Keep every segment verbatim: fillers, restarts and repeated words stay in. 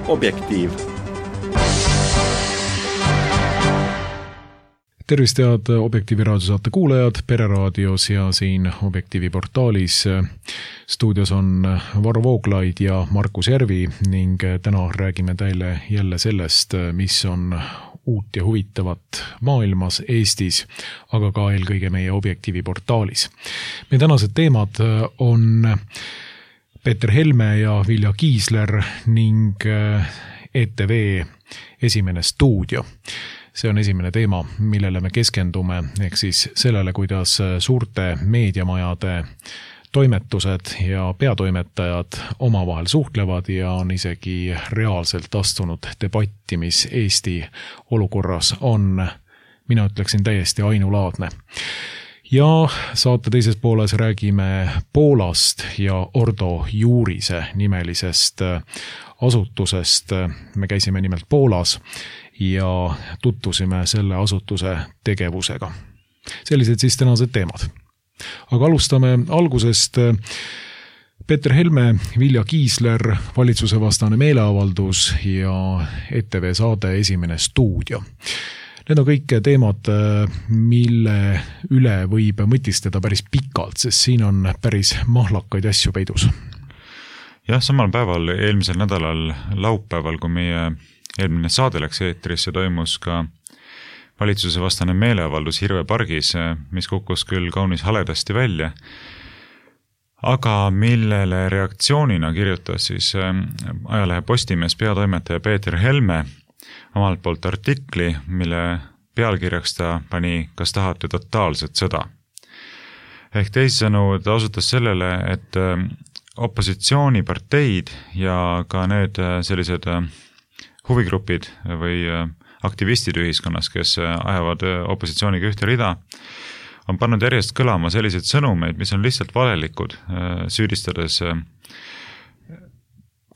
Objektiiv. Tervist head Objektiivi raadiosaate kuulajad Pereraadios ja siin Objektiivi portaalis. Stuudios on Varro Vooglaid ja Markus Järvi ning täna räägime teile jälle sellest, mis on uut ja huvitavat maailmas, Eestis, aga ka eelkõige meie Objektiivi portaalis. Meie tänased teemad on Peeter Helme ja Vilja Kiisler ning E T V esimene stuudio. See on esimene teema, millele me keskendume, ehk siis sellele, kuidas suurte meediamajade toimetused ja peatoimetajad omavahel suhtlevad ja on isegi reaalselt astunud debatti, mis Eesti olukorras on, mina ütleksin, täiesti ainulaadne. Ja saate teises pooles räägime Poolast ja Ordo Juurise nimelisest asutusest. Me käisime nimelt Poolas ja tutvusime selle asutuse tegevusega. Sellised siis tänased teemad. Aga alustame algusest. Peeter Helme, Vilja Kiisler, valitsuse vastane meeleavaldus ja E T V saade esimene stuudio. Need on kõik teemad, mille üle võib mõtistada päris pikalt, sest siin on päris mahlakaid asju peidus. Jah, samal päeval, eelmisel nädalal laupäeval, kui meie eelmine saade läks eetrisse, toimus ka valitsuse vastane meeleavaldus Hirve pargis, mis kukkus küll kaunis haledasti välja, aga millele reaktsioonina kirjutas siis ajalehe Postimees peatoimetaja Peeter Helme omalt poolt artikli, mille pealkirjaks ta pani "Kas tahate totaalset sõda?". Ehk teisisõnu ta osutas sellele, et opositsiooniparteid ja ka need sellised huvigrupid või aktivistid ühiskonnas, kes ajavad opositsiooniga ühte rida, on pannud järjest kõlama selliseid sõnumeid, mis on lihtsalt valelikud, süüdistades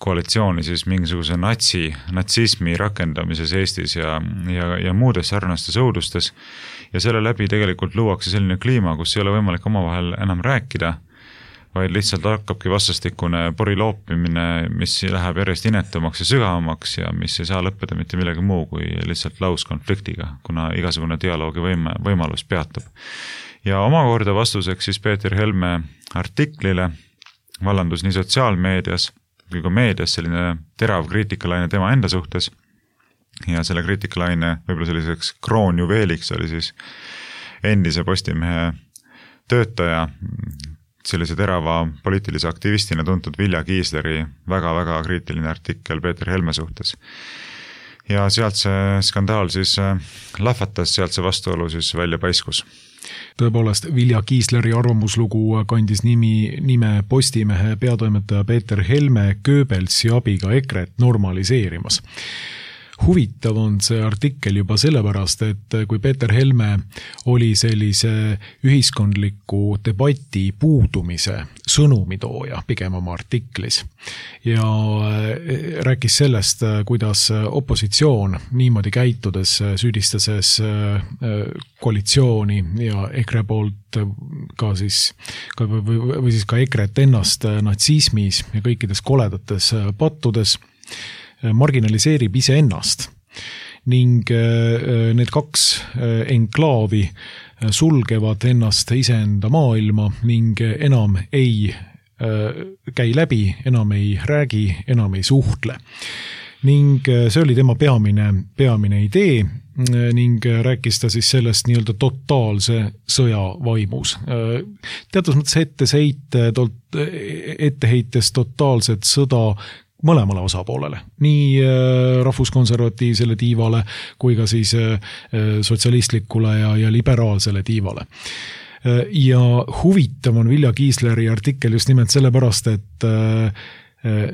koalitsiooni siis mingisuguse natsi, natsismi rakendamises Eestis ja, ja, ja muudes sarnastes õudustes. Ja selle läbi tegelikult luuakse selline kliima, kus ei ole võimalik omavahel enam rääkida, vaid lihtsalt hakkabki vastastikune poriloopimine, mis läheb järjest inetumaks ja sügavamaks ja mis ei saa lõppeda mitte millegi muu kui lihtsalt lauskonfliktiga, kuna igasugune dialoogi võime, võimalus peatub. Ja omakorda vastuseks siis Peeter Helme artiklile vallandus nii sotsiaalmeedias kui ka meedias selline terav kriitikalaine tema enda suhtes ja selle kriitikalaine võib-olla selliseks kroonjuveeliks oli siis endise Postimehe töötaja, sellise terava poliitilise aktivistina tuntud Vilja Kiisleri väga-väga kriitiline artikkel Peeter Helme suhtes. Ja sealt see skandaal siis lahvatas, sealt see vastuolu siis välja paiskus. Tõepoolest, Vilja Kiisleri arvamuslugu kandis nimi, nime Postimehe peatoimetaja Peeter Helme Goebbelsi abiga EKRE-t normaliseerimas. Huvitav on see artikkel juba sellepärast, et kui Peeter Helme oli sellise ühiskondliku debati puudumise sõnumitooja pigem oma artiklis ja rääkis sellest, kuidas opositsioon niimoodi käitudes süüdistases koalitsiooni ja EKRE poolt ka siis, ka, või, või siis ka EKRE-t ennast natsismis ja kõikides koledates pattudes marginaliseerib ise ennast ning need kaks enklaavi sulgevad ennast iseenda maailma ning enam ei käi läbi, enam ei räägi, enam ei suhtle. Ning see oli tema peamine, peamine idee ning rääkis ta siis sellest nii-öelda totaalse sõja vaimus. Teatud mõttes etteseite, etteheites totaalset sõda mõlemale osapoolele, nii rahvuskonservatiivsele tiivale kui ka siis sotsialistlikule ja, ja liberaalsele tiivale. Ja huvitav on Vilja Kiisleri artikkel just nimelt sellepärast, et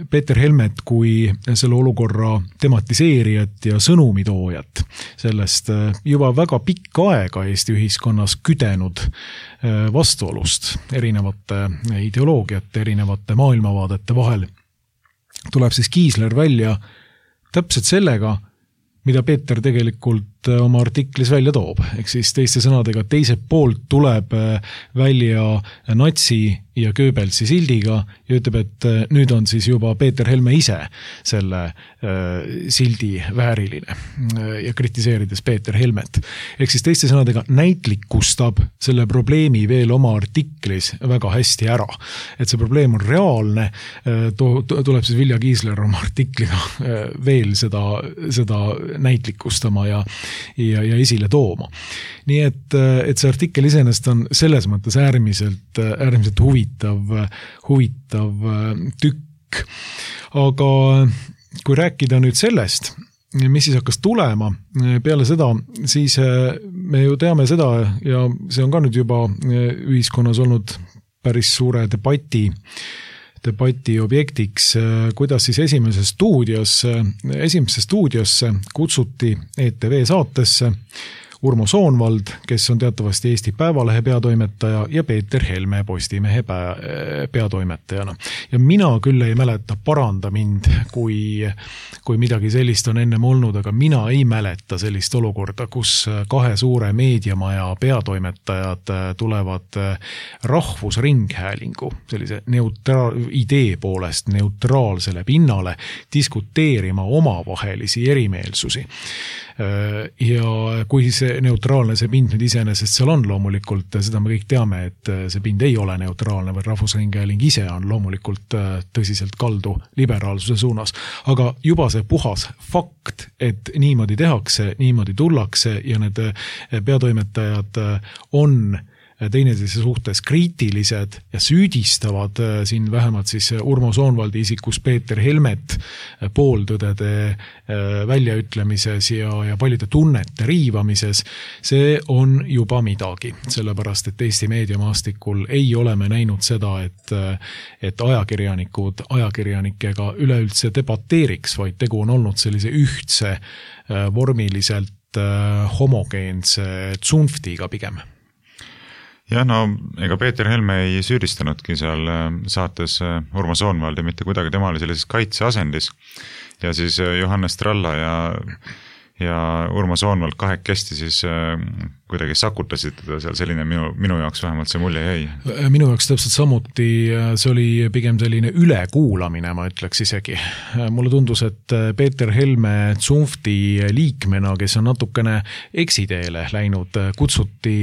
Peeter Helmet kui selle olukorra tematiseerijat ja sõnumitoojat sellest juba väga pikka aega Eesti ühiskonnas küdenud vastuolust erinevate ideoloogiate, erinevate maailmavaadete vahel tuleb siis Kiisler välja täpselt sellega, mida Peeter tegelikult selgelt oma artiklis välja toob. Ehk siis teiste sõnadega teiselt poolt tuleb välja natsi ja Goebbelsi sildiga ja ütleb, et nüüd on siis juba Peeter Helme ise selle sildi vääriline ja kritiseerides Peeter Helmet. Ehk siis teiste sõnadega näitlikustab selle probleemi veel oma artiklis väga hästi ära. Et see probleem on reaalne, tuleb siis Vilja Kiisler oma artikliga veel seda, seda näitlikustama ja, ja, ja esile tooma. Nii et, et see artikkel iseenesest on selles mõttes äärmiselt, äärmiselt huvitav, huvitav tükk. Aga kui rääkida nüüd sellest, mis siis hakkas tulema peale seda, siis me ju teame seda ja see on ka nüüd juba ühiskonnas olnud päris suure debati, debati objektiks, kuidas siis esimeses stuudios, esimesse stuudiosse kutsuti E T V saatesse Urmo Soonvald, kes on teatavasti Eesti Päevalehe peatoimetaja ja Peeter Helme Postimehe peatoimetajana. Ja mina küll ei mäleta, paranda mind, kui, kui midagi sellist on ennem olnud, aga mina ei mäleta sellist olukorda, kus kahe suure meediamaja peatoimetajad tulevad rahvusringhäälingu sellise neutra- idee poolest neutraalsele pinnale diskuteerima omavahelisi erimeelsusi. Ja kui see neutraalne see pind nüüd iseenesest seal on loomulikult, seda me kõik teame, et see pind ei ole neutraalne, või rahvusringhääling ise on loomulikult tõsiselt kaldu liberaalsuse suunas. Aga juba see puhas fakt, et niimoodi tehakse, niimoodi tullakse ja need peatoimetajad on teineteise suhtes kriitilised ja süüdistavad siin vähemalt siis Urmo Soonvaldi isikus Peeter Helmet pooltõdede väljaütlemises ja, ja paljude tunnete riivamises, see on juba midagi. Sellepärast, et Eesti meediamaastikul ei ole me näinud seda, et, et ajakirjanikud ajakirjanikega üleüldse debateeriks, vaid tegu on olnud sellise ühtse vormiliselt homogeense tsunftiga pigem. Ja no, ega Peeter Helme ei süüdistanudki seal saates Urmo Soonvaldi mitte kuidagi, tema oli sellises kaitseasendis ja siis Johannes Tralla ja, ja Urmo Soonvald kahekesti siis kuidagi sakutasid teda seal, selline minu, minu jaoks vähemalt see mulje jäi. Minu jaoks täpselt samuti, see oli pigem selline ülekuulamine, ma ütleks isegi. Mulle tundus, et Peeter Helme tsunfti liikmena, kes on natukene eksiteele läinud, kutsuti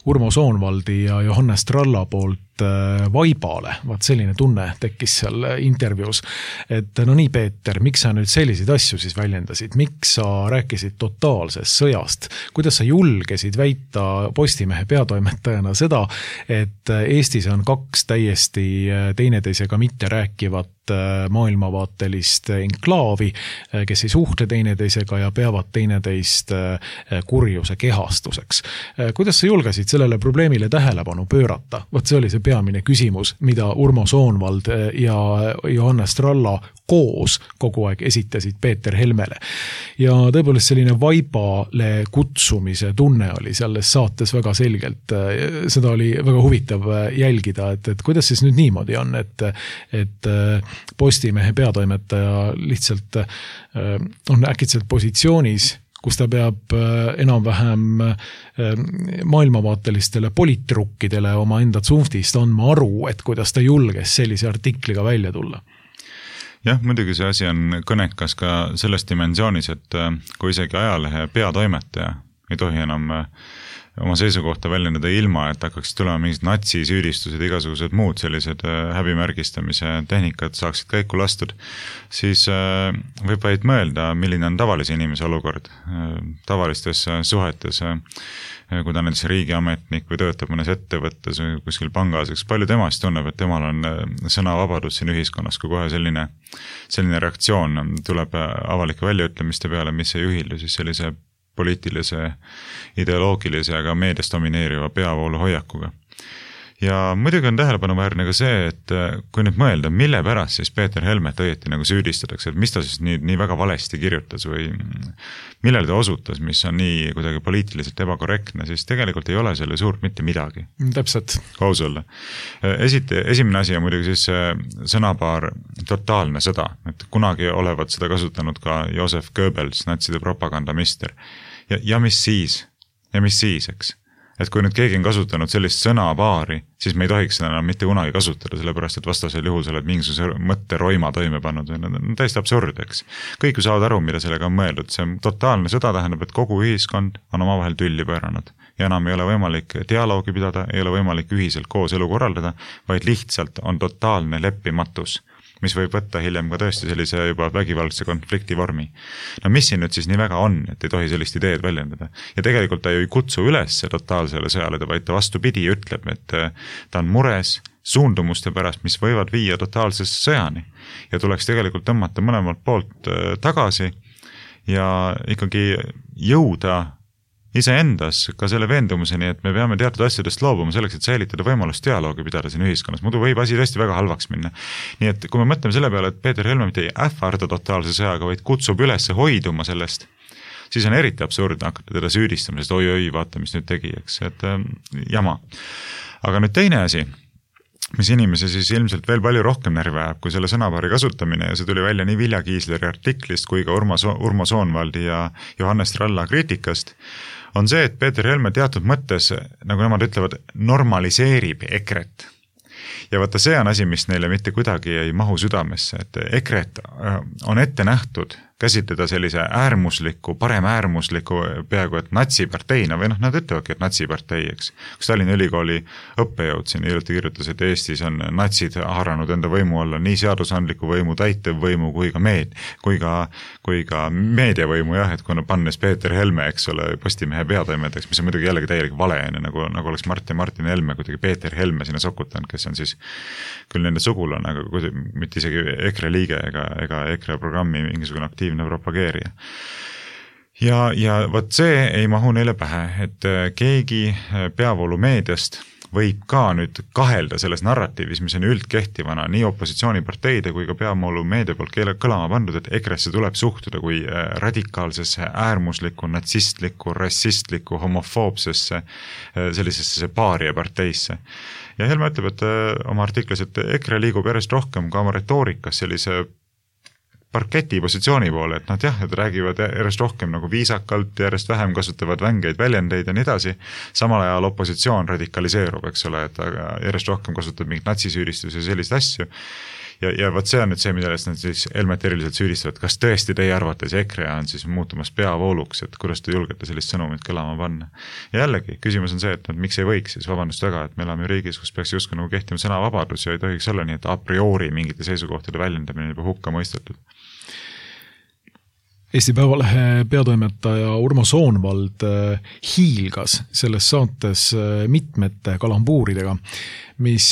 Urmo Soonvaldi ja Johannes Tralla poolt vaibale. Vaat selline tunne tekkis seal intervjuus, et no nii, Peeter, miks sa nüüd selliseid asju siis väljendasid? Miks sa rääkisid totaalsest sõjast? Kuidas sa julgesid väita Postimehe peatoimetajana seda, et Eestis on kaks täiesti teineteisega mitte rääkivat maailmavaatelist enklaavi, kes ei suhtle teineteisega ja peavad teineteist kurjuse kehastuseks. Kuidas sa julgesid sellele probleemile tähelepanu pöörata? Vot see oli see peamine küsimus, mida Urmo Soonvald ja Johannes Tralla koos kogu aeg esitasid Peeter Helmele. Ja tõepoolest selline vaibale kutsumise tunne oli selles saates väga selgelt. Seda oli väga huvitav jälgida, et, et kuidas siis nüüd niimoodi on, et, et Postimehe peatoimetaja lihtsalt on äkitselt positsioonis, kus ta peab enam-vähem maailmavaatelistele poliitrukkidele oma enda tsunftist andma aru, et kuidas ta julges sellise artikliga välja tulla. Jah, muidugi see asi on kõnekas ka selles dimensioonis, et kui isegi ajalehe peatoimetaja ei tohi enam oma seisukohta väljendada ilma, et hakkaks tulema mingid natsisüüdistused, igasugused muud sellised häbimärgistamise tehnikad saaksid käiku lastud, siis võib vaid mõelda, milline on tavalise inimese olukord tavalistes suhetes, kui ta on näiteks riigiametnik või töötab mõnes ettevõttes või kuskil pangas, eks palju temast tunneb, et temal on sõnavabadus siin ühiskonnas, kui kohe selline, selline reaktsioon tuleb avalike väljaütlemiste peale, mis ei ühildu siis sellise poliitilise, ideoloogilise, aga meedias domineeriva peavoolu hoiakuga. Ja muidugi on tähelepanuväärne ka see, et kui nüüd mõelda, mille pärast siis Peeter Helmet õieti nagu süüdistatakse, et mis ta siis nii, nii väga valesti kirjutas või millele ta osutas, mis on nii kuidagi poliitiliselt ebakorrektne, siis tegelikult ei ole selle suurt mitte midagi. Täpselt. Kaus olla. Esite, esimene asi on muidugi siis sõnapaar totaalne sõda, et kunagi olevat seda kasutanud ka Josef Goebbels, natside propagandamister. ja, ja mis siis, ja mis siis, eks. Et kui nüüd keegi on kasutanud sellist sõnapaari, siis me ei tohiks seda enam mitte kunagi kasutada, sellepärast et vastasel juhul sa oled mingisuguse mõtte roima toime pannud või need on täiesti absurd, eks. Kõik ju saavad aru, mida sellega on mõeldud, see on totaalne sõda, tähendab, et kogu ühiskond on omavahel tülli pööranud ja enam ei ole võimalik dialoogi pidada, ei ole võimalik ühiselt koos elu korraldada, vaid lihtsalt on totaalne leppimatus, mis võib võtta hiljem ka tõesti sellise juba vägivaldse konflikti vormi. No mis siin nüüd siis nii väga on, et ei tohi sellist ideed väljendada? Ja tegelikult ta ju ei kutsu üles totaalsele sõjale, vaid ta vastupidi ütleb, et ta on mures suundumuste pärast, mis võivad viia totaalsesse sõjani. Ja tuleks tegelikult tõmmata mõlemalt poolt tagasi ja ikkagi jõuda iseendas ka selle veendumuseni, et me peame teatud asjadest loobuma selleks, et säilitada võimalust dialoogi pidada siin ühiskonnas. Muidu võib asi tõesti väga halvaks minna. Nii et kui me mõtleme selle peale, et Peeter Helme mitte ei ähvarda totaalse sõjaga, vaid kutsub üles hoiduma sellest, siis on eriti absurdne hakata teda süüdistama, sest oi-oi, vaata, mis nüüd tegi, eks, et äh, jama. Aga nüüd teine asi, mis inimese siis ilmselt veel palju rohkem närvi ajab, kui selle sõnapaari kasutamine ja see tuli välja nii Vilja Kiisleri artiklist kui ka Urmo, so- Urmo Soonvaldi ja Johannes Tralla kriitikast, on see, et Peeter Helme teatud mõttes, nagu nemad ütlevad, normaliseerib ekret. Ja vaata, see on asi, mis neile mitte kuidagi ei mahu südamesse, et ekret on ette nähtud käsitleda sellise äärmusliku, parem äärmusliku peaaegu, et natsiparteina või noh, nad ütlevadki, et natsipartei, eks. Kus Tallinna Ülikooli õppejõud siin hiljuti kirjutas, et Eestis on natsid haaranud enda võimu alla nii seadusandliku võimu, täitevvõimu kui ka meed, kui ka, kui ka meediavõimu, jah, et kui pannes Peeter Helme, eks ole, Postimehe peatoimetajaks, mis on muidugi jällegi täielik vale, nagu, nagu oleks Martin Martin Helme kuidagi Peeter Helme sinna sokutanud, kes on siis küll nende sugulane, aga kuidagi, mitte isegi EKRE liige ega, ega EKRE programmi mingisugune aktiivne propageerija. Ja, ja võt see ei mahu neile pähe, et keegi peavoolu meediast võib ka nüüd kahelda selles narratiivis, mis on üldkehtivana nii opositsiooniparteide kui ka peavoolu meedia poolt keele kõlama pandud, et ekresse tuleb suhtuda kui radikaalsesse, äärmuslikku, natsistlikku, rassistlikku, homofoobsesse, sellisesse paaria parteisse. Ja Helme ütleb, et oma artiklis, et EKRE liigub järjest rohkem ka oma retoorikas sellise parketi positsiooni poole, et nad jah, et räägivad järjest rohkem nagu viisakalt, järjest vähem kasutavad vängeid väljendeid ja nii edasi. Samal ajal opositsioon radikaliseerub, eks ole, et järjest rohkem kasutab mingit natsisüüdistusi ja sellist asju. Ja, ja võt see on nüüd see, millest nad siis Helmet eriliselt süüdistavad, kas tõesti teie arvates EKRE on siis muutumas peavooluks, et kuidas te julgete sellist sõnumit kõlama panna. Ja jällegi, küsimus on see, et nad miks ei võiks siis vabandust väga, et me elame riigis, kus peaks justkui nagu kehtima sõnavabadus ja ei tohiks olla nii, et a priori mingite seisukohtade väljendamine juba hukka mõistetud. Eesti Päevalehe peatoimetaja Urmo Soonvald hiilgas selles saates mitmete kalambuuridega, mis,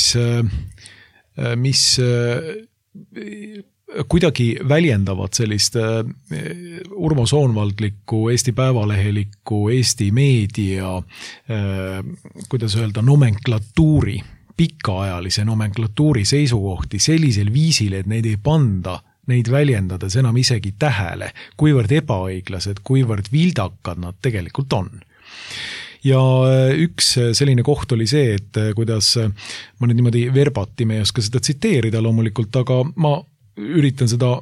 mis kuidagi väljendavad sellist Urmo Soonvaldlikku, Eesti Päevalehelikku, Eesti meedia, kuidas öelda, nomenklatuuri, pikaajalise nomenklatuuri seisukohti sellisel viisil, et neid ei panda neid väljendades enam isegi tähele, kuivõrd ebaõiglased, kuivõrd vildakad nad tegelikult on. Ja üks selline koht oli see, et kuidas ma nüüd niimoodi verbati, me ei oska seda tsiteerida loomulikult, aga ma üritan seda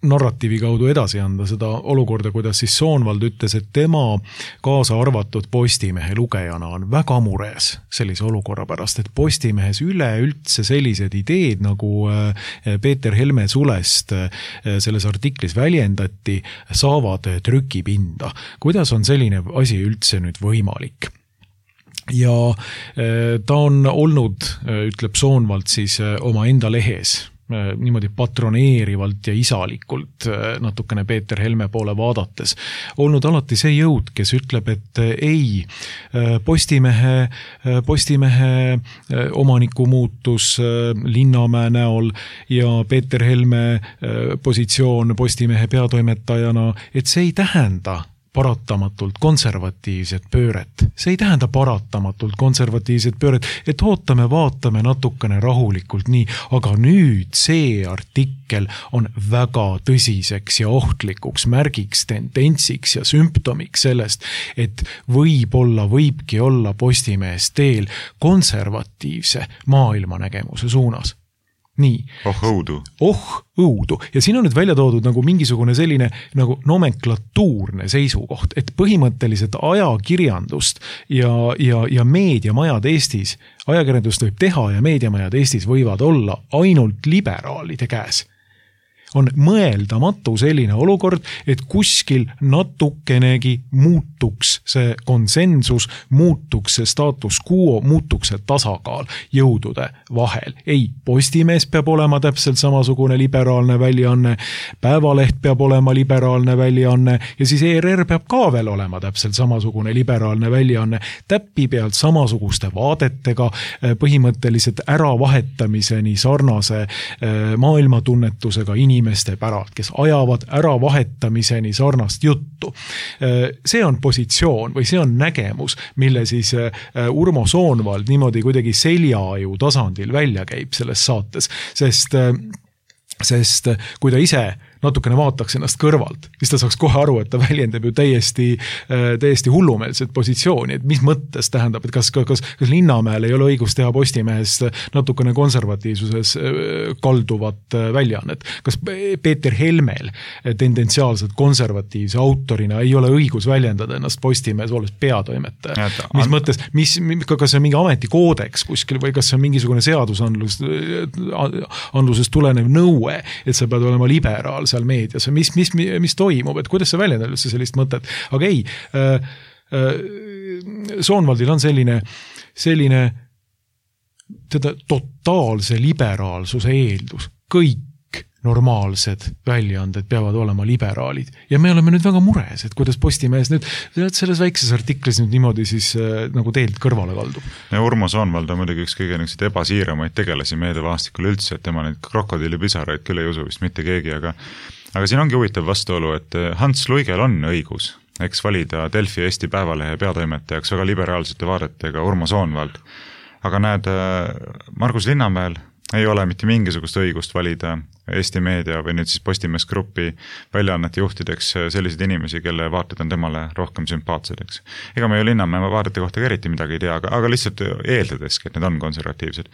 narratiivi kaudu edasi anda seda olukorda, kuidas siis Soonvald ütles, et tema kaasa arvatud Postimehe lugejana on väga mures sellise olukorra pärast, et Postimehes üleüldse sellised ideed, nagu Peeter Helme sulest selles artiklis väljendati, saavad trükipinda. Kuidas on selline asi üldse nüüd võimalik? Ja ta on olnud, ütleb Soonvald siis oma enda lehes, niimoodi patroneerivalt ja isalikult natukene Peeter Helme poole vaadates, olnud alati see jõud, kes ütleb, et ei, Postimehe, Postimehe omaniku muutus Linnamäe näol ja Peeter Helme positsioon Postimehe peatoimetajana, et see ei tähenda paratamatult konservatiivset pööret. See ei tähenda paratamatult konservatiivset pööret, et ootame, vaatame natukene rahulikult nii, aga nüüd see artikkel on väga tõsiseks ja ohtlikuks märgiks, tendentsiks ja sümptomiks sellest, et võib-olla, võibki olla Postimehes teel konservatiivse maailmanägemuse suunas. nii. Oh õudu. Oh õudu. Ja siin on nüüd välja toodud nagu mingisugune selline nagu nomenklatuurne seisukoht, et põhimõtteliselt ajakirjandust ja, ja, ja meediamajad Eestis, ajakirjandust võib teha ja meediamajad Eestis võivad olla ainult liberaalide käes. On mõeldamatu selline olukord, et kuskil natukenegi muutuks see konsensus, muutuks see status quo, muutuks see tasakaal jõudude vahel. Ei, Postimees peab olema täpselt samasugune liberaalne väljaanne, Päevaleht peab olema liberaalne väljaanne ja siis E R R peab ka veel olema täpselt samasugune liberaalne väljaanne, täppi pealt samasuguste vaadetega, põhimõtteliselt äravahetamiseni sarnase maailmatunnetusega inimesed inimeste päralt, kes ajavad ära vahetamiseni sarnast juttu. See on positsioon või see on nägemus, mille siis Urmo Soonvald niimoodi kuidagi seljaaju tasandil välja käib selles saates, sest, sest kui ta ise natukene vaataks ennast kõrvalt, siis ta saaks kohe aru, et ta väljendab ju täiesti, täiesti hullumeelset positsiooni, et mis mõttes tähendab, et kas, kas, kas Linnamäel ei ole õigus teha Postimehest natukene konservatiivsuses kalduvat väljaannet. Kas Peeter Helmel tendentsiaalselt konservatiivse autorina ei ole õigus väljendada ennast Postimehes olles peatoimetaja? Mis mõttes, mis, kas see on mingi ametikoodeks kuskil või kas see on mingisugune seadusandlus, andlusest tulenev nõue, et sa pead olema liberaal seal meedias, mis, mis, mis toimub, et kuidas see väljendab üldse sellist mõtet, aga ei, äh, äh, Soonvaldil on selline, selline teda totaalse liberaalsuse eeldus, kõik normaalsed väljaanded peavad olema liberaalid ja me oleme nüüd väga mures, et kuidas Postimees nüüd selles väikses artiklis nüüd niimoodi siis äh, nagu teelt kõrvale kaldub. Ja Urmo Soonvald on muidugi üks kõige niisuguseid ebasiiramaid tegelasi meediavaastikul üldse, et tema neid krokodillipisaraid küll ei usu vist mitte keegi, aga, aga siin ongi huvitav vastuolu, et Hans Luigel on õigus, eks valida Delfi Eesti Päevalehe peatoimetajaks väga liberaalsete vaadetega Urmo Soonvald, aga näed, Margus Linnamäel ei ole mitte mingisugust õigust valida Eesti meedia või nüüd siis Postimees Grupi väljaannete juhtideks selliseid inimesi, kelle vaated on temale rohkem sümpaatsed, eks. Ega me ju Linnamäe vaadete kohta ka eriti midagi ei tea, aga, aga lihtsalt eeldadeski, et need on konservatiivsed.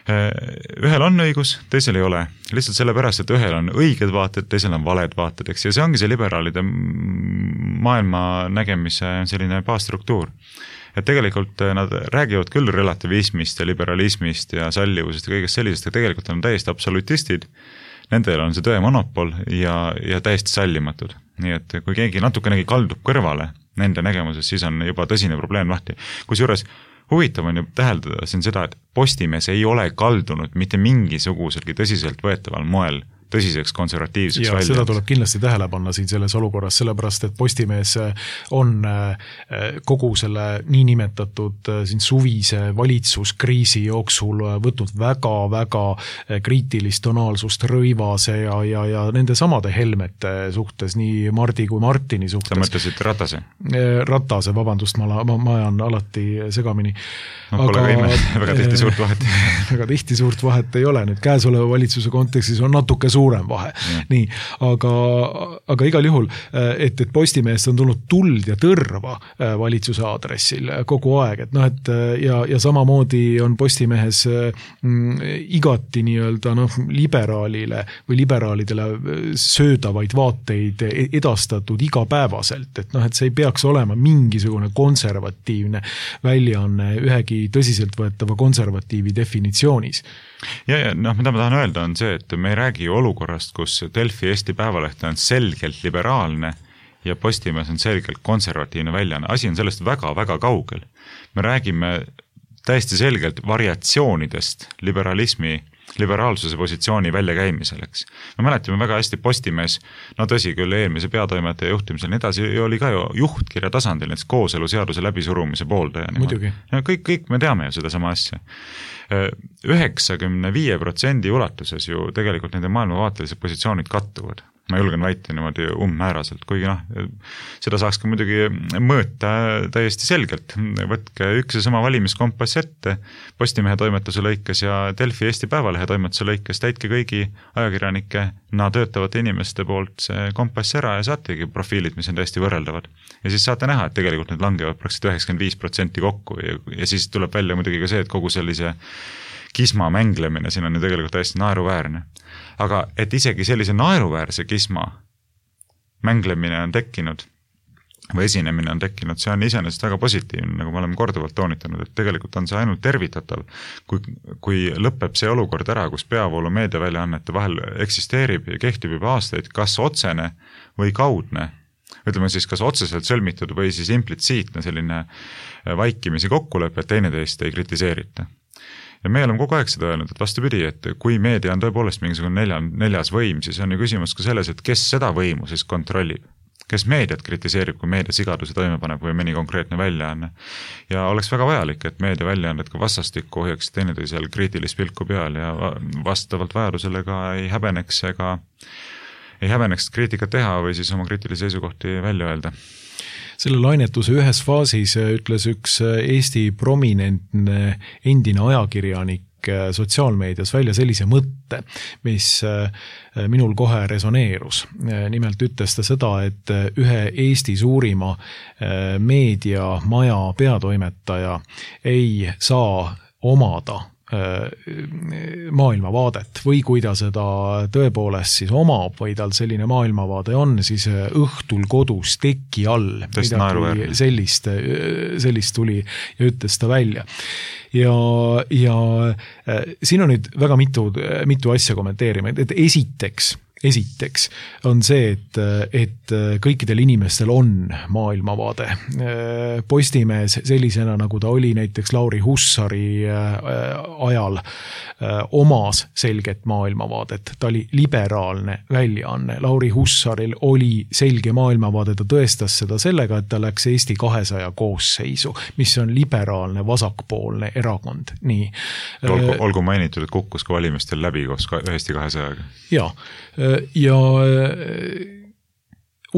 Ühel on õigus, teisel ei ole. Lihtsalt sellepärast, et ühel on õiged vaated, teisel on valed vaated, eks. Ja see ongi see liberaalide maailma nägemise selline baasstruktuur. Et tegelikult nad räägivad küll relativismist ja liberalismist ja sallivusest ja kõigest sellisest, et tegelikult on täiesti absolutistid, nendel on see tõe monopol ja, ja täiesti sallimatud. Nii et kui keegi natukenegi kaldub kõrvale nende nägemuses, siis on juba tõsine probleem lahti. Kusjuures huvitav on ju täheldada siin seda, et Postimees ei ole kaldunud mitte mingisuguselgi tõsiselt võetaval moel tõsiseks konservatiivseks ja välja. Seda tuleb kindlasti tähele panna siin selles olukorras, sellepärast, et Postimees on kogu selle niinimetatud siin suvise valitsuskriisi jooksul võtnud väga-väga kriitilist tonaalsust Rõivase ja, ja, ja nende samade Helmete suhtes, nii Mardi kui Martini suhtes. Sa mõtlesid Ratase? Ratase, vabandust, ma, ma, ma ajan alati segamini. No, pole aga, ime, väga tihti suurt vahet. väga tihti suurt vahet ei ole. Nüüd käesoleva valitsuse kontekstis on natuke suurem vahe. Ja. Nii, aga, aga igal juhul, et, et Postimeest on tulnud tuld ja tõrva valitsuse aadressil kogu aeg, et noh, et ja, ja samamoodi on Postimehes mm, igati nii-öelda noh, liberaalile või liberaalidele söödavaid vaateid edastatud igapäevaselt, et noh, et see ei peaks olema mingisugune konservatiivne väljaanne ühegi tõsiseltvõetava konservatiivi definitsioonis. Ja, ja noh, mida ma tahan öelda on see, et me ei räägi olukorrast, kus Delfi Eesti Päevaleht on selgelt liberaalne ja Postimees on selgelt konservatiivne väljaanne. Asi on sellest väga-väga kaugel. Me räägime täiesti selgelt variatsioonidest liberalismi liberaalsuse positsiooni väljakäimiseks. Me mäletame väga hästi Postimees, no tõsi küll eelmise peatoimetaja juhtimisel, nii edasi oli ka ju juhtkirja tasandil, näiteks kooselu-seaduse läbisurumise pooldaja. Muidugi. Kõik, kõik me teame ju seda sama asja. üheksakümne viie protsendi ulatuses ju tegelikult nende maailmavaatelised positsioonid kattuvad. Ma julgen väita niimoodi ummääraselt, kuigi noh, seda saaks ka muidugi mõõta täiesti selgelt. Võtke üks ja sama valimiskompass ette Postimehe toimetuse lõikes ja Delfi Eesti Päevalehe toimetuse lõikes, täitke kõigi ajakirjanike na töötavate inimeste poolt see kompass ära ja saategi profiilid, mis on täiesti võrreldavad. Ja siis saate näha, et tegelikult need langevad praktiliselt üheksakümmend viis protsenti kokku ja, ja siis tuleb välja muidugi ka see, et kogu sellise kisma mänglemine, siin on ju tegelikult täiesti naeruväärne. Aga et isegi sellise naeruväärse kisma mänglemine on tekkinud või esinemine on tekkinud, see on iseenesest väga positiivne, nagu me oleme korduvalt toonitanud, et tegelikult on see ainult tervitatav, kui, kui lõpeb see olukord ära, kus peavoolu meediaväljaannete vahel eksisteerib ja kehtib juba aastaid, kas otsene või kaudne, ütleme siis kas otseselt sõlmitud või siis implitsiitne selline vaikimisi kokkulepe, et teineteist ei kritiseerita. Ja me oleme kogu aeg seda öelnud, et vastupidi, et kui meedia on tõepoolest mingisugune nelja, neljas võim, siis on ju küsimus ka selles, et kes seda võimu siis kontrollib. Kes meediat kritiseerib, kui meedia sigaduse toime paneb või mõni konkreetne väljaanne. Ja oleks väga vajalik, et meedia väljaanded ka vastastikku hoiaks teineteisel kriitilist pilku peal ja vastavalt vajadusele ka ei häbeneks ega ei häbeneks kriitikat teha või siis oma kriitilisi seisukohti välja öelda. Selle lainetuse ühes faasis ütles üks Eesti prominentne endine ajakirjanik sotsiaalmeedias välja sellise mõtte, mis minul kohe resoneerus. Nimelt ütles ta seda, et ühe Eesti suurima meediamaja peatoimetaja ei saa omada maailmavaadet või kui ta seda tõepoolest siis omab või tal selline maailmavaade on, siis õhtul kodus teki all midagi sellist, sellist tuli ja ütles ta välja. Ja, ja siin on nüüd väga mitu, mitu asja kommenteerima, et esiteks Esiteks on see, et, et kõikidel inimestel on maailmavaade. Postimees sellisena, nagu ta oli näiteks Lauri Hussari ajal, omas selget maailmavaadet. Ta oli liberaalne väljaanne. Lauri Hussaril oli selge maailmavaade, ta tõestas seda sellega, et ta läks Eesti kahesaja koosseisu, mis on liberaalne vasakpoolne erakond. Nii. Olgu, olgu mainitud, et kukkus ka valimistel läbi koos Eesti kahesajaga. Jaa. Ja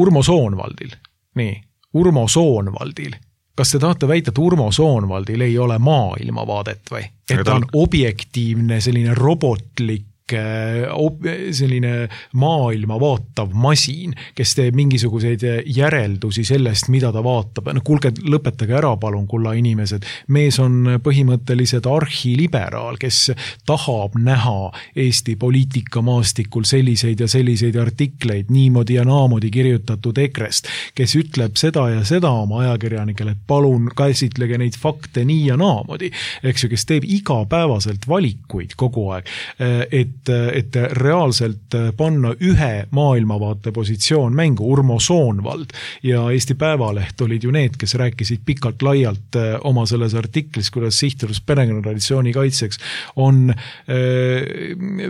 Urmo Soonvaldil, nii, Urmo Soonvaldil, kas te tahate väita, et Urmo Soonvaldil ei ole maailmavaadet või? Et ta on objektiivne, selline robotlik, selline maailma vaatav masin, kes teeb mingisuguseid järeldusi sellest, mida ta vaatab. No kuulge, lõpetage ära palun, kulla inimesed. Mees on põhimõtteliselt arhiliberaal, kes tahab näha Eesti poliitikamaastikul selliseid ja selliseid artikleid, niimoodi ja naamodi kirjutatud ekrest, kes ütleb seda ja seda oma ajakirjanikele, et palun käsitlege neid fakte nii ja naamodi, eks ju, kes teeb igapäevaselt valikuid kogu aeg, et et reaalselt panna ühe maailmavaate positsioon mängu. Urmo Soonvald ja Eesti Päevaleht olid ju need, kes rääkisid pikalt laialt oma selles artiklis, kuidas sihtrus perekonnatraditsiooni kaitseks on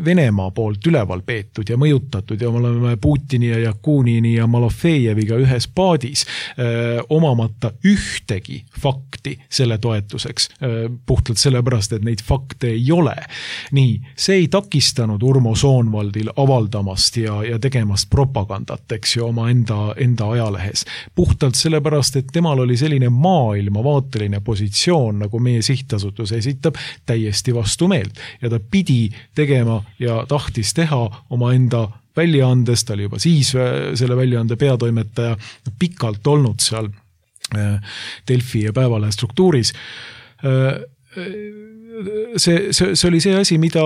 Venemaa poolt üleval peetud ja mõjutatud ja me oleme Putini ja Jakunini ja Malofejeviga ühes paadis omamata ühtegi fakti selle toetuseks, puhtalt sellepärast, et neid fakte ei ole. Nii, see ei takista Urmo Soonvaldil avaldamast ja, ja tegemast propagandat, eks ju, oma enda, enda ajalehes. Puhtalt sellepärast, et temal oli selline maailmavaateline positsioon, nagu meie sihtasutus esitab, täiesti vastu meelt. Ja ta pidi tegema ja tahtis teha oma enda väljaandes, ta oli juba siis selle väljaande peatoimetaja pikalt olnud seal Delfi ja Päevalehe struktuuris. See, see, see oli see asi, mida,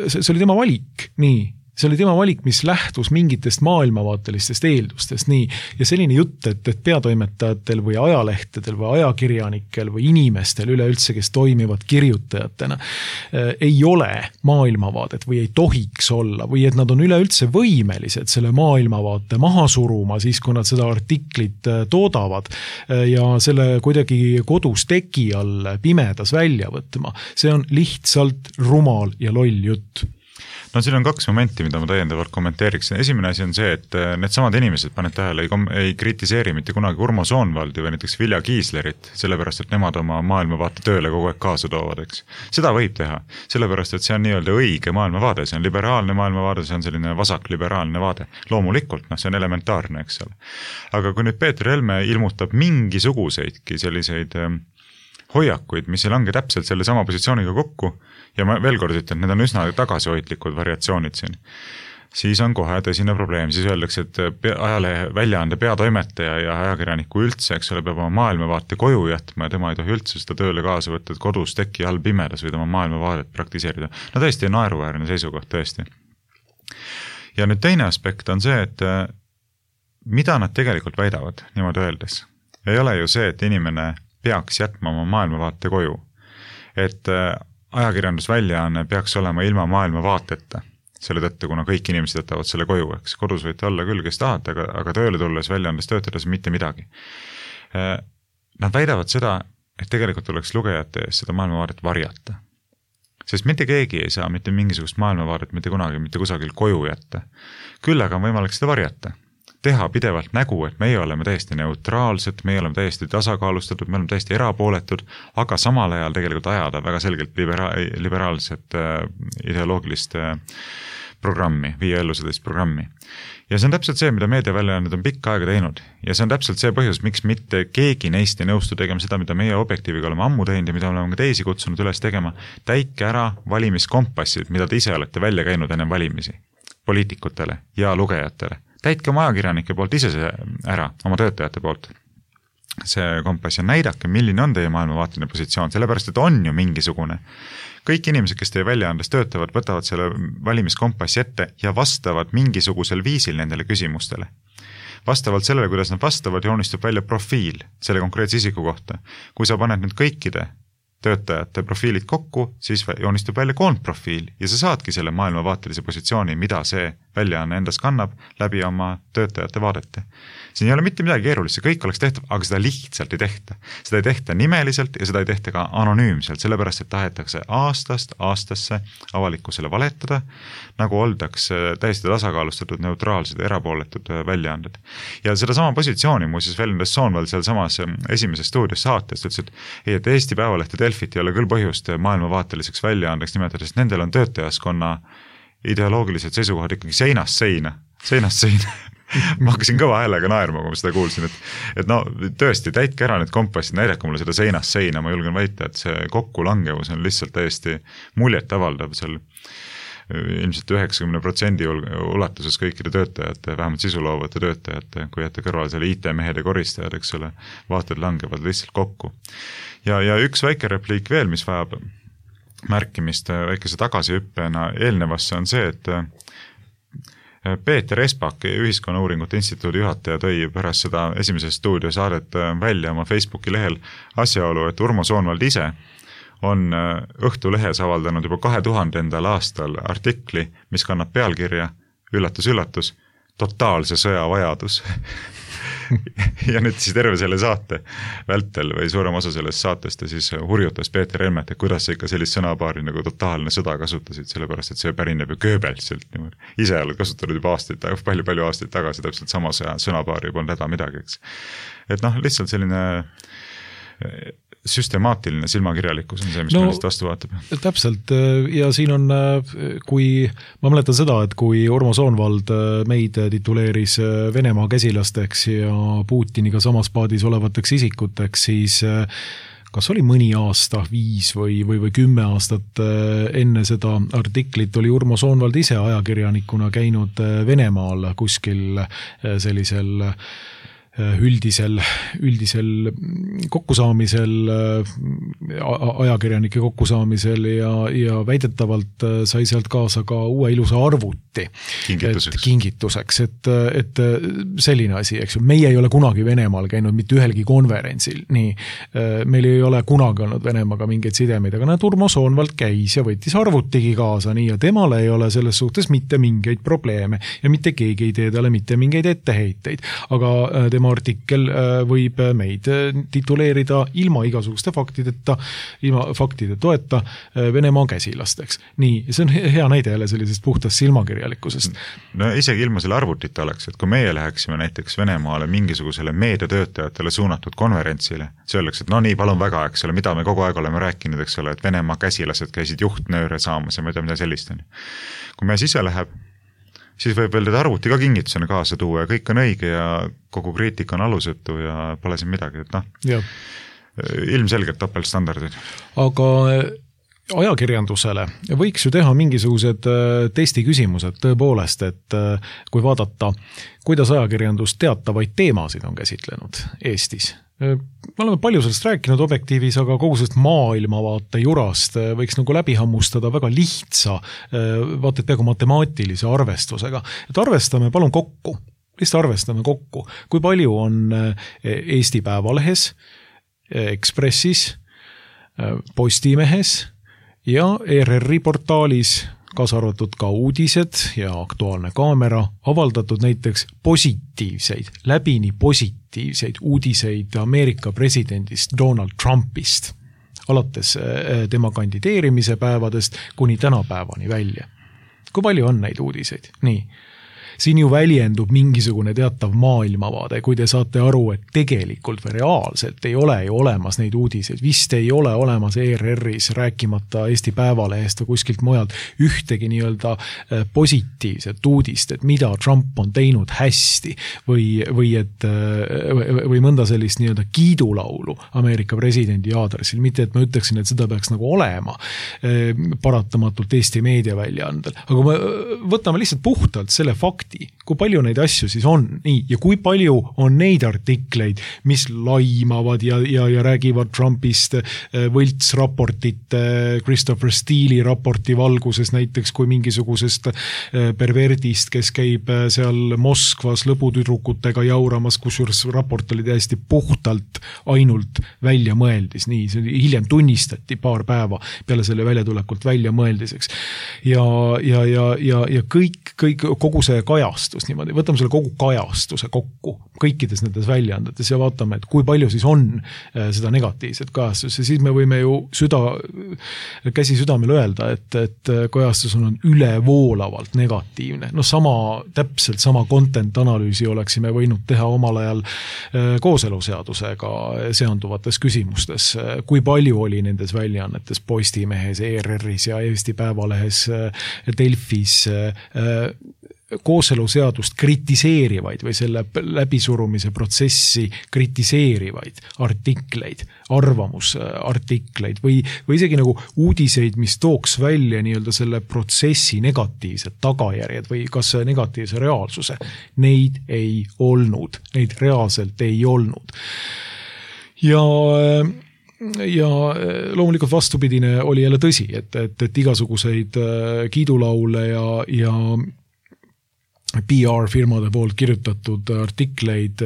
see, see oli tema valik, nii. See oli tema valik, mis lähtus mingitest maailmavaatelistest eeldustest, nii. Ja selline jutt, et, et peatoimetajatel või ajalehtedel või ajakirjanikel või inimestel üleüldse, kes toimivad kirjutajatena, ei ole maailmavaadet või ei tohiks olla või et nad on üleüldse võimelised selle maailmavaate maha suruma siis, kui nad seda artiklit toodavad ja selle kuidagi kodus teki all pimedas välja võtma. See on lihtsalt rumal ja loll jutt. No siin on kaks momenti, mida ma täiendavalt kommenteeriksin. Esimene asi on see, et need samad inimesed, paned tähele, ei, ei kritiseeri mitte kunagi Urmo Soonvaldi või näiteks Vilja Kiislerit, sellepärast, et nemad oma maailmavaate tööle kogu aeg kaasa toovad, eks. Seda võib teha, sellepärast, et see on nii-öelda õige maailmavaade, see on liberaalne maailmavaade, see on selline vasakliberaalne vaade. Loomulikult, noh, see on elementaarne, eks ole. Aga kui nüüd Peeter Helme ilmutab mingisuguseidki selliseid hoiakuid, mis ei lange täpselt selle sama positsiooniga kokku, ja ma veel kord ütlen, need on üsna tagasihoidlikud variatsioonid siin, siis on kohe tõsine probleem, siis öeldakse, et ajalehe väljaande peatoimetaja ja ajakirjaniku üldse, eks ole, peab oma maailmavaate koju jätma ja tema ei tohi üldse seda tööle kaasa võtta, et kodus teki all pimedas võid oma maailmavaadet praktiseerida. No tõesti naeruväärne seisukoht, tõesti. Ja nüüd teine aspekt on see, et mida nad tegelikult väidavad, niimoodi öeldes. Ei ole ju see, et inimene peaks jätma oma maailmavaate koju. Et ajakirjandusväljaanne peaks olema ilma maailmavaateta. Selle tõttu, kuna kõik inimesed jätavad selle koju, eks kodus võite olla küll, kes tahate, aga, aga tööle tulles väljaandes töötades mitte midagi. Nad väidavad seda, et tegelikult tuleks lugejate ees seda maailmavaadet varjata. Sest mitte keegi ei saa mitte mingisugust maailmavaadet mitte kunagi, mitte kusagil koju jätta. Küll aga on võimalik seda varjata. Teha pidevalt nägu, et meie oleme täiesti neutraalsed, meie oleme täiesti tasakaalustatud, me oleme täiesti erapooletud, aga samal ajal tegelikult ajada väga selgelt libera- liberaalset äh, ideoloogilist äh, programmi, viie ellu sellist programmi. Ja see on täpselt see, mida meediaväljaanded on pikka aega teinud. Ja see on täpselt see põhjus, miks mitte keegi neist ei nõustu tegema seda, mida meie objektiiviga oleme ammu teinud ja mida oleme ka teisi kutsunud üles tegema. Täike ära valimiskompassid, mida te ise olete välja käinud enne valimisi poliitikutele ja lugejatele. Täitke oma ajakirjanike poolt ise see ära, oma töötajate poolt. See kompass ja näidake, milline on teie maailmavaateline positsioon, sellepärast, et on ju mingisugune. Kõik inimesed, kes teie väljaandes töötavad, võtavad selle valimiskompassi ette ja vastavad mingisugusel viisil nendele küsimustele. Vastavalt sellele, kuidas nad vastavad, joonistub välja profiil selle konkreetse isiku kohta. Kui sa paned nüüd kõikide töötajate profiilid kokku, siis joonistub välja koondprofiil ja sa saadki selle maailmavaatelise positsiooni, mida see väljaanne endas kannab läbi oma töötajate vaadete. Siin ei ole mitte midagi keerulist, see kõik oleks tehtav, aga seda lihtsalt ei tehta. Seda ei tehta nimeliselt ja seda ei tehta ka anonüümselt, sellepärast, et tahetakse aastast aastasse avalikkusele valetada, nagu oldakse täiesti tasakaalustatud, neutraalsed, erapooletud väljaanded. Ja seda sama positsiooni muuseas väljendas Soonvald seal samas esimeses stuudios saatest, ütles, et, ei, et Eesti Päevalehte Delfit ei ole küll põhjust maailmavaateliseks väljaandeks nimetada, sest nendel on töötajaskonna ideoloogilised seisukohad ikkagi seinast seina, seinast seina. Ma hakkasin kõva häälega naerma, kui ma seda kuulsin, et, et no tõesti, täitke ära need kompassid, näidake mulle seda seinast seina, ma julgen väita, et see kokkulangevus on lihtsalt täiesti muljet avaldav seal ilmselt üheksakümne protsendi ulatuses kõikide töötajate, vähemalt sisuloovate töötajate, kui jätta kõrval selle I T-mehed ja koristajad, eks ole, vaated langevad lihtsalt kokku. Ja, ja üks väike repliik veel, mis vajab märkimist väikese tagasihüppena eelnevasse on see, et Peeter Espak, Ühiskonnauuringute Instituudi juhataja, tõi pärast seda esimese stuudio saadet välja oma Facebooki lehel asjaolu, et Urmo Soonvald ise on Õhtulehes avaldanud juba kahe tuhandendal aastal artikli, mis kannab pealkirja, üllatus, üllatus, totaalse sõja vajadus. Ja nüüd siis terve selle saate vältel või suurem osa sellest saatest ja siis hurjutas Peeter Helmet, et kuidas sa ikka sellist sõnapaari nagu totaalne sõda kasutasid, sellepärast et see pärineb ju Goebbelsilt niimoodi. Ise oled kasutanud juba aastaid, palju-palju aastaid tagasi täpselt sama sõnapaari polnud häda midagi, eks. Et noh, lihtsalt selline süstemaatiline silmakirjalikkus on see, mis no, meelest vastu vaatab. Täpselt, ja siin on, kui ma mäletan seda, et kui Urmo Soonvald meid tituleeris Venemaa käsilasteks ja Putiniga samas paadis olevateks isikuteks, siis kas oli mõni aasta, viis või, või, või kümme aastat enne seda artiklit oli Urmo Soonvald ise ajakirjanikuna käinud Venemaal kuskil sellisel üldisel, üldisel kokkusaamisel, ajakirjanike kokkusaamisel ja, ja väidetavalt sai sealt kaasa ka uue ilusa arvuti. Kingituseks. Et, kingituseks, et, et selline asi, eks ju. Meie ei ole kunagi Venemaal käinud mitte ühelgi konverentsil, nii. Meil ei ole kunagi olnud Venemaaga mingeid sidemeid, aga näed, Urmo Soonvald käis ja võttis arvutigi kaasa, nii, ja temal ei ole selles suhtes mitte mingeid probleeme ja mitte keegi ei tee talle mitte mingeid etteheiteid, aga tema artikkel võib meid tituleerida ilma igasuguste faktideta, ilma faktide toeta Venemaa käsilasteks. Nii, see on hea näide jälle sellisest puhtast silmakirjalikkusest. No isegi ilma selle arvutita oleks, et kui meie läheksime näiteks Venemaale mingisugusele meediatöötajatele suunatud konverentsile, see oleks, et no nii, palun väga, eks ole, mida me kogu aeg oleme rääkinud, eks ole, et Venemaa käsilased käisid juhtnööre saamas ja mida, mida sellist on. Kui me sisse läheb, siis võib veel teda arvuti ka kingitusena kaasa tuua ja kõik on õige ja kogu kriitika on alusetu ja pole siin midagi, et noh, ilmselgelt topeltstandardid. Aga ajakirjandusele võiks ju teha mingisugused testiküsimused tõepoolest, et kui vaadata, kuidas ajakirjandus teatavaid teemasid on käsitlenud Eestis. Me oleme palju sellest rääkinud Objektiivis, aga kogu sellest maailmavaate jurast võiks nagu läbi hammustada väga lihtsa, vaata et peaaegu matemaatilise arvestusega. Et arvestame palun kokku, lihtsalt arvestame kokku, kui palju on Eesti Päevalehes, Ekspressis, Postimehes ja E R R-i portaalis, kaasa arvatud ka uudised ja Aktuaalne kaamera, avaldatud näiteks positiivseid, läbini positiivseid uudiseid Ameerika presidendist Donald Trumpist, alates tema kandideerimise päevadest kuni tänapäevani välja. Kui palju on neid uudiseid? Nii. Siin ju väljendub mingisugune teatav maailmavaade, kui te saate aru, et tegelikult või reaalselt ei ole ju olemas neid uudiseid. Vist ei ole olemas E R R-is, rääkimata Eesti Päevalehest või kuskilt mujalt, ühtegi nii-öelda positiivset uudist, et mida Trump on teinud hästi või, või, et, või mõnda sellist nii-öelda kiidulaulu Ameerika presidendi aadressil. Mitte, et ma ütleksin, et seda peaks nagu olema paratamatult Eesti meediaväljaandel. Aga me võtame lihtsalt puhtalt selle fakti, kui palju neid asju siis on, nii, ja kui palju on neid artikleid, mis laimavad ja, ja, ja räägivad Trumpist võltsraportite, Christopher Steele'i raporti valguses näiteks kui mingisugusest perverdist, kes käib seal Moskvas lõbutüdrukutega jauramas, kusjuures raport oli täiesti puhtalt ainult välja mõeldis, nii, see hiljem tunnistati paar päeva peale selle väljatulekult välja mõeldiseks. Ja, ja, ja, ja, ja kõik, kõik, kogu see kajastus niimoodi, võtame selle kogu kajastuse kokku kõikides nendes väljaandetes ja vaatame, et kui palju siis on seda negatiivset kajastust ja siis me võime ju süda, käsi südamel öelda, et, et kajastus on ülevoolavalt negatiivne. No sama, täpselt sama content analüüsi oleksime võinud teha omal ajal kooseluseadusega seonduvates küsimustes. Kui palju oli nendes väljaannetes Postimehes, E R R-is ja Eesti Päevalehes, Delfis kooseluseadust kritiseerivaid või selle läbisurumise protsessi kritiseerivaid artikleid, arvamusartikleid või, või isegi nagu uudiseid, mis tooks välja nii-öelda selle protsessi negatiivsed tagajärjed või kas negatiivse reaalsuse. Neid ei olnud, neid reaalselt ei olnud. Ja ja loomulikult vastupidine oli jälle tõsi, et, et, et igasuguseid kiidulaule ja, ja P R-firmade poolt kirjutatud artikleid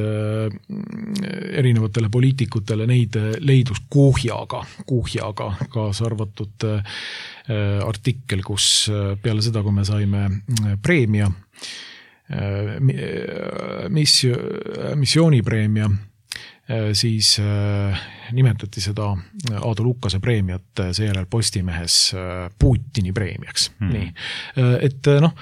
erinevatele poliitikutele, neid leidus kuhjaga, kuhjaga kaasa arvatud artikkel, kus peale seda, kui me saime preemia, missioonipreemia, siis nimetati seda Aadu Lukkase preemiat seejärel Postimehes Putini preemiaks. Hmm. Nii. Et noh,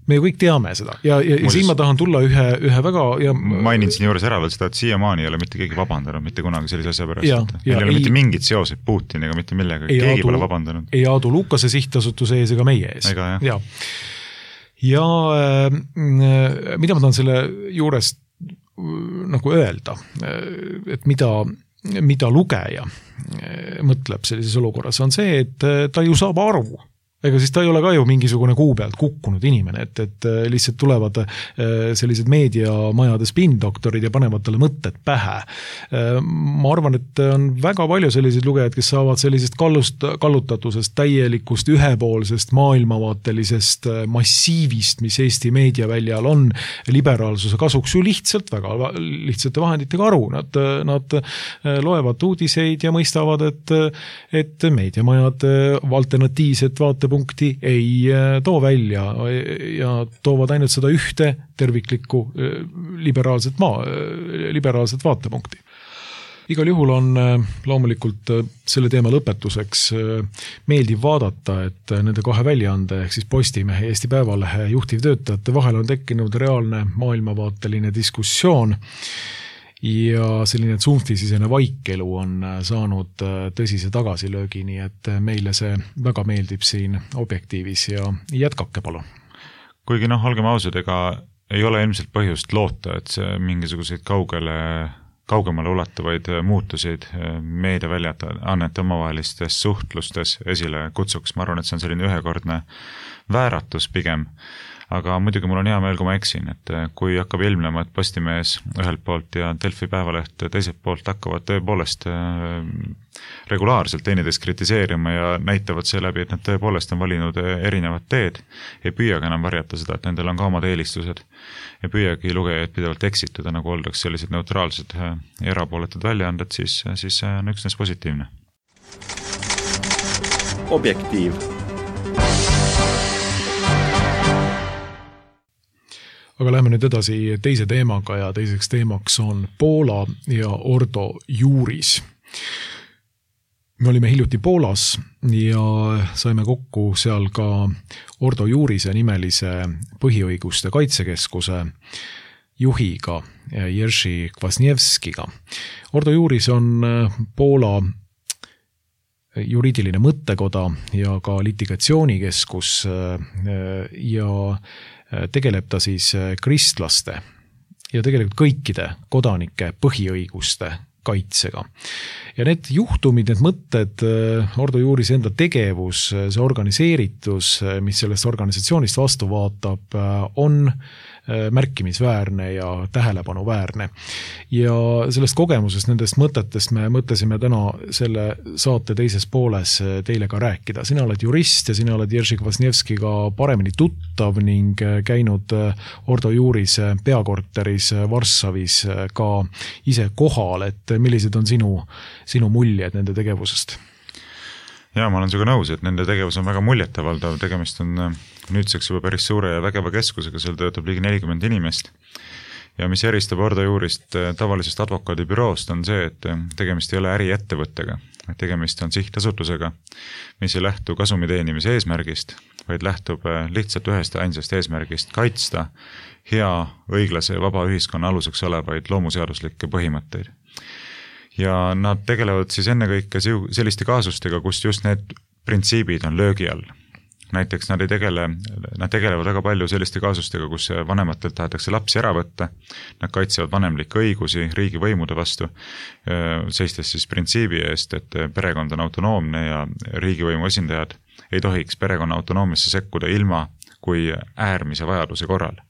me ju kõik teame seda ja, ja, ja siin ma tahan tulla ühe, ühe väga ja mainin siin juures ära veel seda, et siiamaani ei ole mitte keegi vabandanud mitte kunagi sellise asja pärast. Ja, ja, ei ole ei, mitte mingit seoseid Putiniga, mitte millega, keegi Aadu, pole vabandanud. Ei Aadu Lukkase sihtasutuse ees ega meie ees. Ega, ja, ja äh, mida ma tahan selle juurest nagu öelda, et mida, mida lugeja mõtleb sellises olukorras, on see, et ta ju saab aru, ega siis ta ei ole ka ju mingisugune kuu pealt kukkunud inimene, et, et lihtsalt tulevad sellised meediamajade spindoktorid ja panevad talle mõtted pähe. Ma arvan, et on väga palju selliseid lugejaid, kes saavad sellisest kallust, kallutatusest, täielikust, ühepoolsest, maailmavaatelisest massiivist, mis Eesti meediaväljal on, liberaalsuse kasuks ju lihtsalt väga lihtsate vahenditega aru. Nad, nad loevad uudiseid ja mõistavad, et, et meediamajad alternatiivset vaate punkti ei too välja ja toovad ainult seda ühte terviklikku liberaalset, maa, liberaalset vaatepunkti. Igal juhul on loomulikult selle teema lõpetuseks meeldiv vaadata, et nende kahe väljaande ehk siis Postimehe ja Eesti Päevalehe juhtivtöötajate vahel on tekkinud reaalne maailmavaateline diskussioon ja selline tsunftisisene vaikelu on saanud tõsise tagasilöögi, nii et meile see väga meeldib siin Objektiivis ja jätkake palun. Kuigi noh, olgem ausad, ega ei ole ilmselt põhjust loota, et see mingisuguseid kaugele, kaugemale ulatuvaid muutuseid meediaväljaannete omavahelistes suhtlustes esile kutsuks. Ma arvan, et see on selline ühekordne vääratus pigem, aga muidugi mul on hea meel, kui ma eksin, et kui hakkab ilmnema, et Postimees ühelt poolt ja Delfi Päevaleht teiselt poolt hakkavad tõepoolest regulaarselt teineteist kritiseerima ja näitavad seeläbi, et nad tõepoolest on valinud erinevad teed, ei püüagi enam varjata seda, et nendel on ka omad eelistused, ei püüagi lugejaid pidevalt eksitada, nagu oldaks sellised neutraalsed ja erapooletud väljaanded, siis, siis see on üksnes positiivne. Objektiiv. Aga läheme nüüd edasi teise teemaga ja teiseks teemaks on Poola ja Ordo Juuris. Me olime hiljuti Poolas ja saime kokku seal ka Ordo Juurise nimelise põhiõiguste kaitsekeskuse juhiga Jerzy Kwasniewskiga. Ordo Juuris on Poola juriidiline mõttekoda ja ka litigatsioonikeskus ja tegeleb ta siis kristlaste ja tegelikult kõikide kodanike põhiõiguste kaitsega. Ja need juhtumid, need mõtted, Ordo Juuris enda tegevus, see organiseeritus, mis sellest organisatsioonist vastu vaatab, on märkimisväärne ja tähelepanuväärne. Ja sellest kogemusest, nendest mõtetest me mõtlesime täna selle saate teises pooles teile ka rääkida. Sina oled jurist ja sina oled Jerzy Kwasniewskiga paremini tuttav ning käinud Ordo Juuris peakorteris Varssavis ka ise kohal, et millised on sinu, sinu muljed nende tegevusest? Ja ma olen sinuga nõus, et nende tegevus on väga muljetavaldav, tegemist on nüüdseks juba päris suure ja vägeva keskusega, seal töötab ligi nelikümmend inimest. Ja mis eristab Ordo Juurist tavalisest advokaadibüroost on see, et tegemist ei ole äriettevõttega, et tegemist on sihtasutusega, mis ei lähtu kasumi teenimise eesmärgist, vaid lähtub lihtsalt ühest ja ainsast eesmärgist kaitsta hea, õiglase ja vaba ühiskonna aluseks olevaid loomuseaduslikke põhimõtteid. Ja nad tegelevad siis ennekõike selliste kaasustega, kus just need printsiibid on löögi all. Näiteks nad, ei tegele, nad tegelevad väga palju selliste kaasustega, kus vanematelt tahetakse lapsi ära võtta, nad kaitsevad vanemlikke õigusi riigi võimude vastu, seistes siis printsiibi eest, et perekond on autonoomne ja riigivõimu esindajad ei tohiks perekonna autonoomiasse sekkuda ilma kui äärmise vajaduse korral.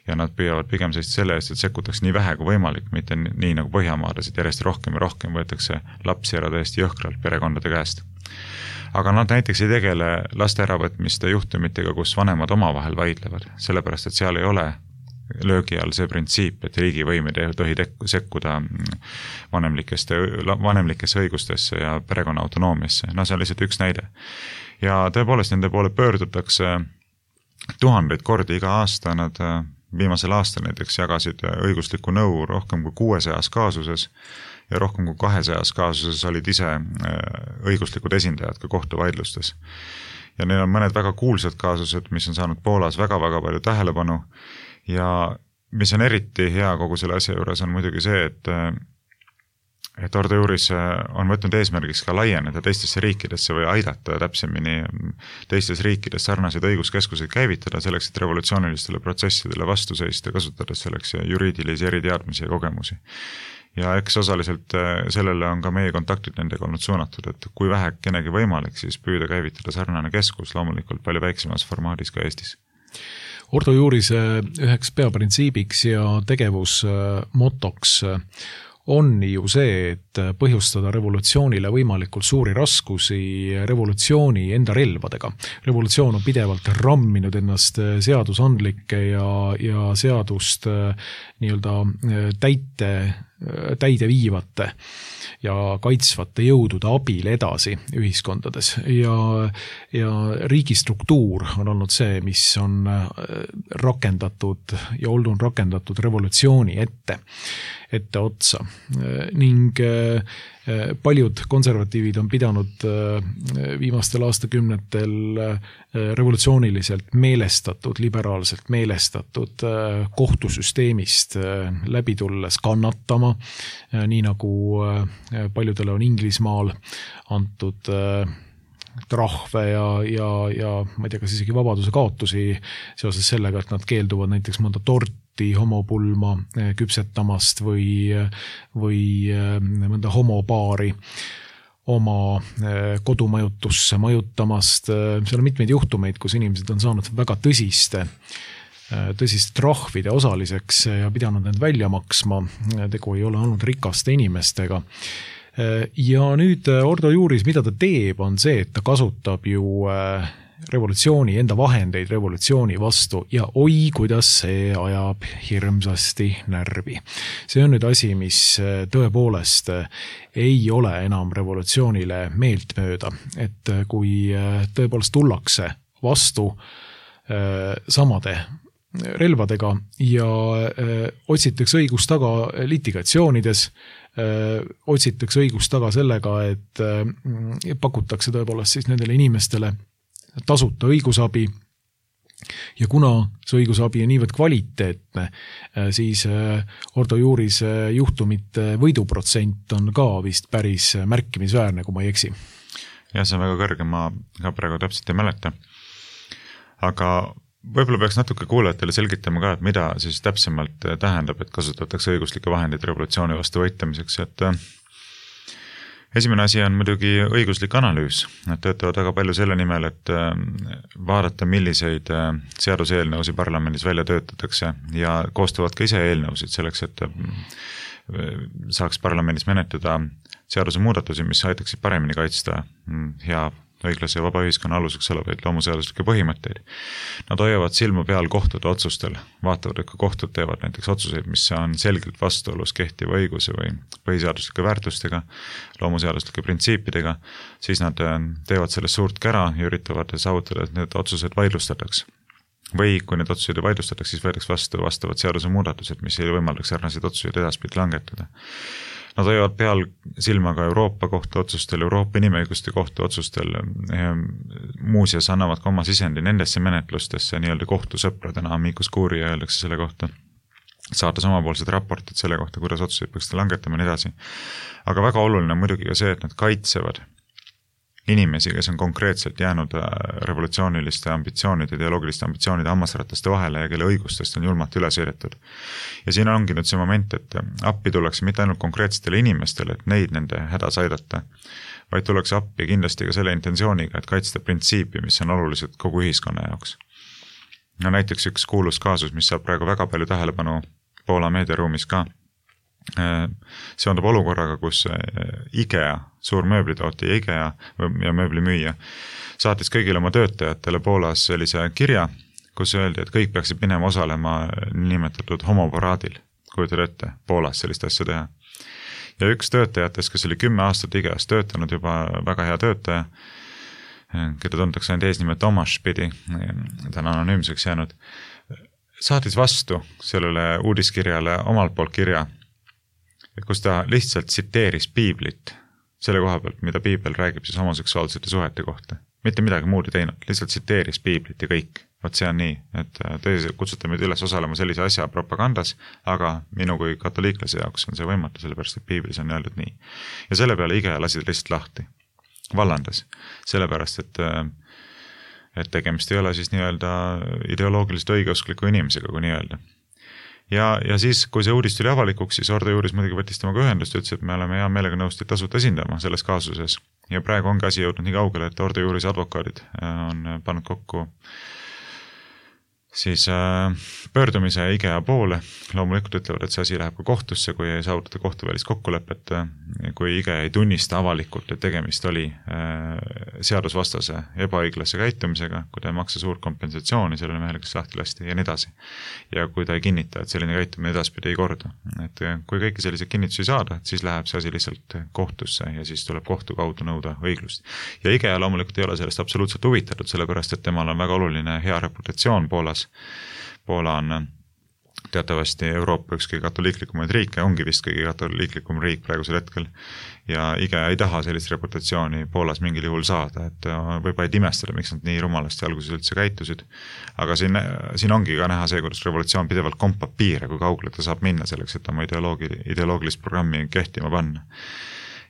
Ja nad püüavad pigem seista selle eest, et sekkutaks nii vähe kui võimalik, mitte nii nagu Põhjamaades, et järjest rohkem ja rohkem võetakse lapsi ära täiesti jõhkralt perekondade käest. Aga nad näiteks ei tegele laste äravõtmiste juhtumitega, kus vanemad omavahel vaidlevad, sellepärast, et seal ei ole löögi all see printsiip, et riigivõim ei tohi sekkuda vanemlikeste, vanemlikesse õigustesse ja perekonna autonoomiasse. No see on lihtsalt üks näide. Ja tõepoolest nende poole pöördutakse tuhandeid kordi iga aasta, nad viimasel aastal näiteks jagasid õiguslikku nõu rohkem kui kuuesajas kaasuses ja rohkem kui kahesajas kaasuses olid ise õiguslikud esindajad ka kohtuvaidlustes. Ja neil on mõned väga kuulsad kaasused, mis on saanud Poolas väga-väga palju tähelepanu ja mis on eriti hea kogu selle asja juures on muidugi see, et et Ordo Juuris on võtnud eesmärgiks ka laieneda teistesse riikidesse või aidata täpsemini teistes riikides sarnaseid õiguskeskuseid käivitada selleks, et revolutsioonilistele protsessidele vastu seista, kasutades selleks juriidilisi eriteadmisi ja kogemusi. Ja eks osaliselt sellele on ka meie kontaktid nendega olnud suunatud, et kui vähe kenegi võimalik, siis püüda käivitada sarnane keskus loomulikult palju väiksemas formaadis ka Eestis. Ordo Juuris üheks peaprintsiibiks ja tegevusmotoks on ju see, et põhjustada revolutsioonile võimalikult suuri raskusi revolutsiooni enda relvadega. Revolutsioon on pidevalt ramminud ennast seadusandlike ja, ja seadust nii-öelda täite, täide viivate ja kaitsvate jõudude abil edasi ühiskondades. Ja, ja riigistruktuur on olnud see, mis on rakendatud ja olnud rakendatud revolutsiooni ette, ette otsa. Ning paljud konservatiivid on pidanud viimastel aastakümnetel revolutsiooniliselt meelestatud, liberaalselt meelestatud kohtusüsteemist läbi tulles kannatama, nii nagu paljudele on Inglismaal antud trahve ja, ja, ja ma ei tea, kas isegi vabaduse kaotusi seoses sellega, et nad keelduvad näiteks mõnda torti, homopulma küpsetamast või, või mõnda homopaari oma kodumajutusse majutamast. Seal on mitmeid juhtumeid, kus inimesed on saanud väga tõsiste tõsiste trahvide osaliseks ja pidanud need välja maksma. Tegu ei ole olnud rikaste inimestega. Ja nüüd Ordo Juuris, mida ta teeb, on see, et ta kasutab ju revolutsiooni, enda vahendeid revolutsiooni vastu ja oi, kuidas see ajab hirmsasti närvi. See on nüüd asi, mis tõepoolest ei ole enam revolutsioonile meeltmööda, et kui tõepoolest tullakse vastu samade relvadega ja öö, otsitakse õigust taga litigatsioonides, öö, otsitakse õigust taga sellega, et öö, pakutakse tõepoolest siis nendele inimestele tasuta õigusabi ja kuna see õigusabi on niivõrd kvaliteetne, siis öö, Ordo Juuris juhtumite võiduprotsent on ka vist päris märkimisväärne, kui ma ei eksi. Ja see on väga kõrge, ma ka praegu täpselt ei mäleta. Aga võib-olla peaks natuke kuulajatele selgitama ka, et mida siis täpsemalt tähendab, et kasutatakse õiguslikke vahendeid revolutsiooni vastu võitlemiseks, et esimene asi on muidugi õiguslik analüüs. Nad töötavad väga palju selle nimel, et vaadata, milliseid seaduseelnõusid parlamendis välja töötatakse ja koostavad ka ise eelnõusid selleks, et saaks parlamendis menetleda seaduse muudatusi, mis aitaksid paremini kaitsta hea õiglase ja vaba ühiskonna aluseks olevaid loomuseaduslikke põhimõtteid. Nad hoiavad silma peal kohtute otsustel, vaatavad, et kui kohtud teevad näiteks otsuseid, mis on selgelt vastuolus kehtiva õiguse või põhiseaduslike väärtustega, loomuseaduslike printsiipidega, siis nad teevad sellest suurt kära ja üritavad saavutada, et need otsused vaidlustataks. Või kui need otsused ei vaidlustataks, siis võidaks vastu vastavad seaduse muudatused, mis ei võimaldaks sarnaseid otsuseid edaspidi langetada. Nad hoiavad peal silma ka Euroopa kohtu otsustel, Euroopa inimõiguste kohtu otsustel, muuseas annavad ka oma sisendi nendesse menetlustesse nii-öelda kohtusõpradena, amicus curiae öeldakse selle kohta, saates omapoolsed raportid selle kohta, kuidas otsuseid peaks langetama ja nii edasi. Aga väga oluline on muidugi ka see, et nad kaitsevad inimesi, kes on konkreetselt jäänud revolutsiooniliste ambitsioonide, ideoloogiliste ambitsioonide hammasrataste vahele ja kelle õigustest on julmalt üle sõidetud. Ja siin ongi nüüd see moment, et appi tullakse mitte ainult konkreetsetele inimestele, et neid nende hädas aidata, vaid tullakse appi kindlasti ka selle intentsiooniga, et kaitsta printsiipi, mis on olulised kogu ühiskonna jaoks. No näiteks üks kuulus kaasus, mis saab praegu väga palju tähelepanu Poola meediaruumis ka, seondub olukorraga, kus IKEA, suur mööblitootja IKEA ja mööblimüüja, saatis kõigile oma töötajatele Poolas sellise kirja, kus öeldi, et kõik peaksid minema osalema nimetatud homoparaadil, kujutad ette, Poolas sellist asja teha. Ja üks töötajatest, kes oli kümme aastat IKEAs töötanud, juba väga hea töötaja, keda tuntakse ainult eesnime Tomaš pidi, ta on anonüümseks jäänud, saatis vastu sellele uudiskirjale omalt poolt kirja, kus ta lihtsalt tsiteeris piiblit selle koha pealt, mida piibel räägib siis homoseksuaalsete suhete kohta. Mitte midagi muud ei teinud, lihtsalt tsiteeris piiblit ja kõik. Vaat see on nii, et tõesti kutsute meid üles osalema sellise asja propagandas, aga minu kui katoliiklase jaoks on see võimatu, sellepärast et piiblis on öeldud nii. Ja selle peale IKEA lasi lihtsalt lahti, vallandas, sellepärast et, et tegemist ei ole siis nii-öelda ideoloogiliselt õigeuskliku inimesega, kui nii öelda. Ja, ja siis, kui see uudis tuli avalikuks, siis Ordo Juuris muidugi võttis temaga ühendust ja ütles, et me oleme hea meelega nõust tasuta esindama selles kaasuses. Ja praegu ongi asi jõudnud nii kaugele, et Ordo Juuris advokaadid on pannud kokku siis äh, pöördumise IKEA poole. Loomulikult ütlevad, et see asi läheb ka kohtusse, kui ei saavutata kohtuvälist kokkulepet, kui IKEA ei tunnista avalikult, et tegemist oli äh, seadusvastase ebaõiglase käitumisega, kui ta ei maksa suurt kompensatsiooni sellele mehele, kes lahti lasti ja nii edasi. Ja kui ta ei kinnita, et selline käitumine edaspidi ei korda. Et kui kõiki selliseid kinnitusi saada, siis läheb see asi lihtsalt kohtusse ja siis tuleb kohtu kaudu nõuda õiglust. Ja IKEA loomulikult ei ole sellest absoluutselt huvitatud, sellepärast et temal on väga oluline hea reputatsioon Poolas. Poola on teatavasti Euroopa üks kõige katoliiklikumaid riike, ongi vist kõige katoliiklikum riik praegusel hetkel ja IKEA ei taha sellist reputatsiooni Poolas mingil juhul saada, et võib vaid imestada, miks nad nii rumalasti alguses üldse käitusid, aga siin, siin ongi ka näha see, kuidas revolutsioon pidevalt kompab piire, kui kaugele ta saab minna selleks, et oma ideoloogi, ideoloogilist programmi kehtima panna.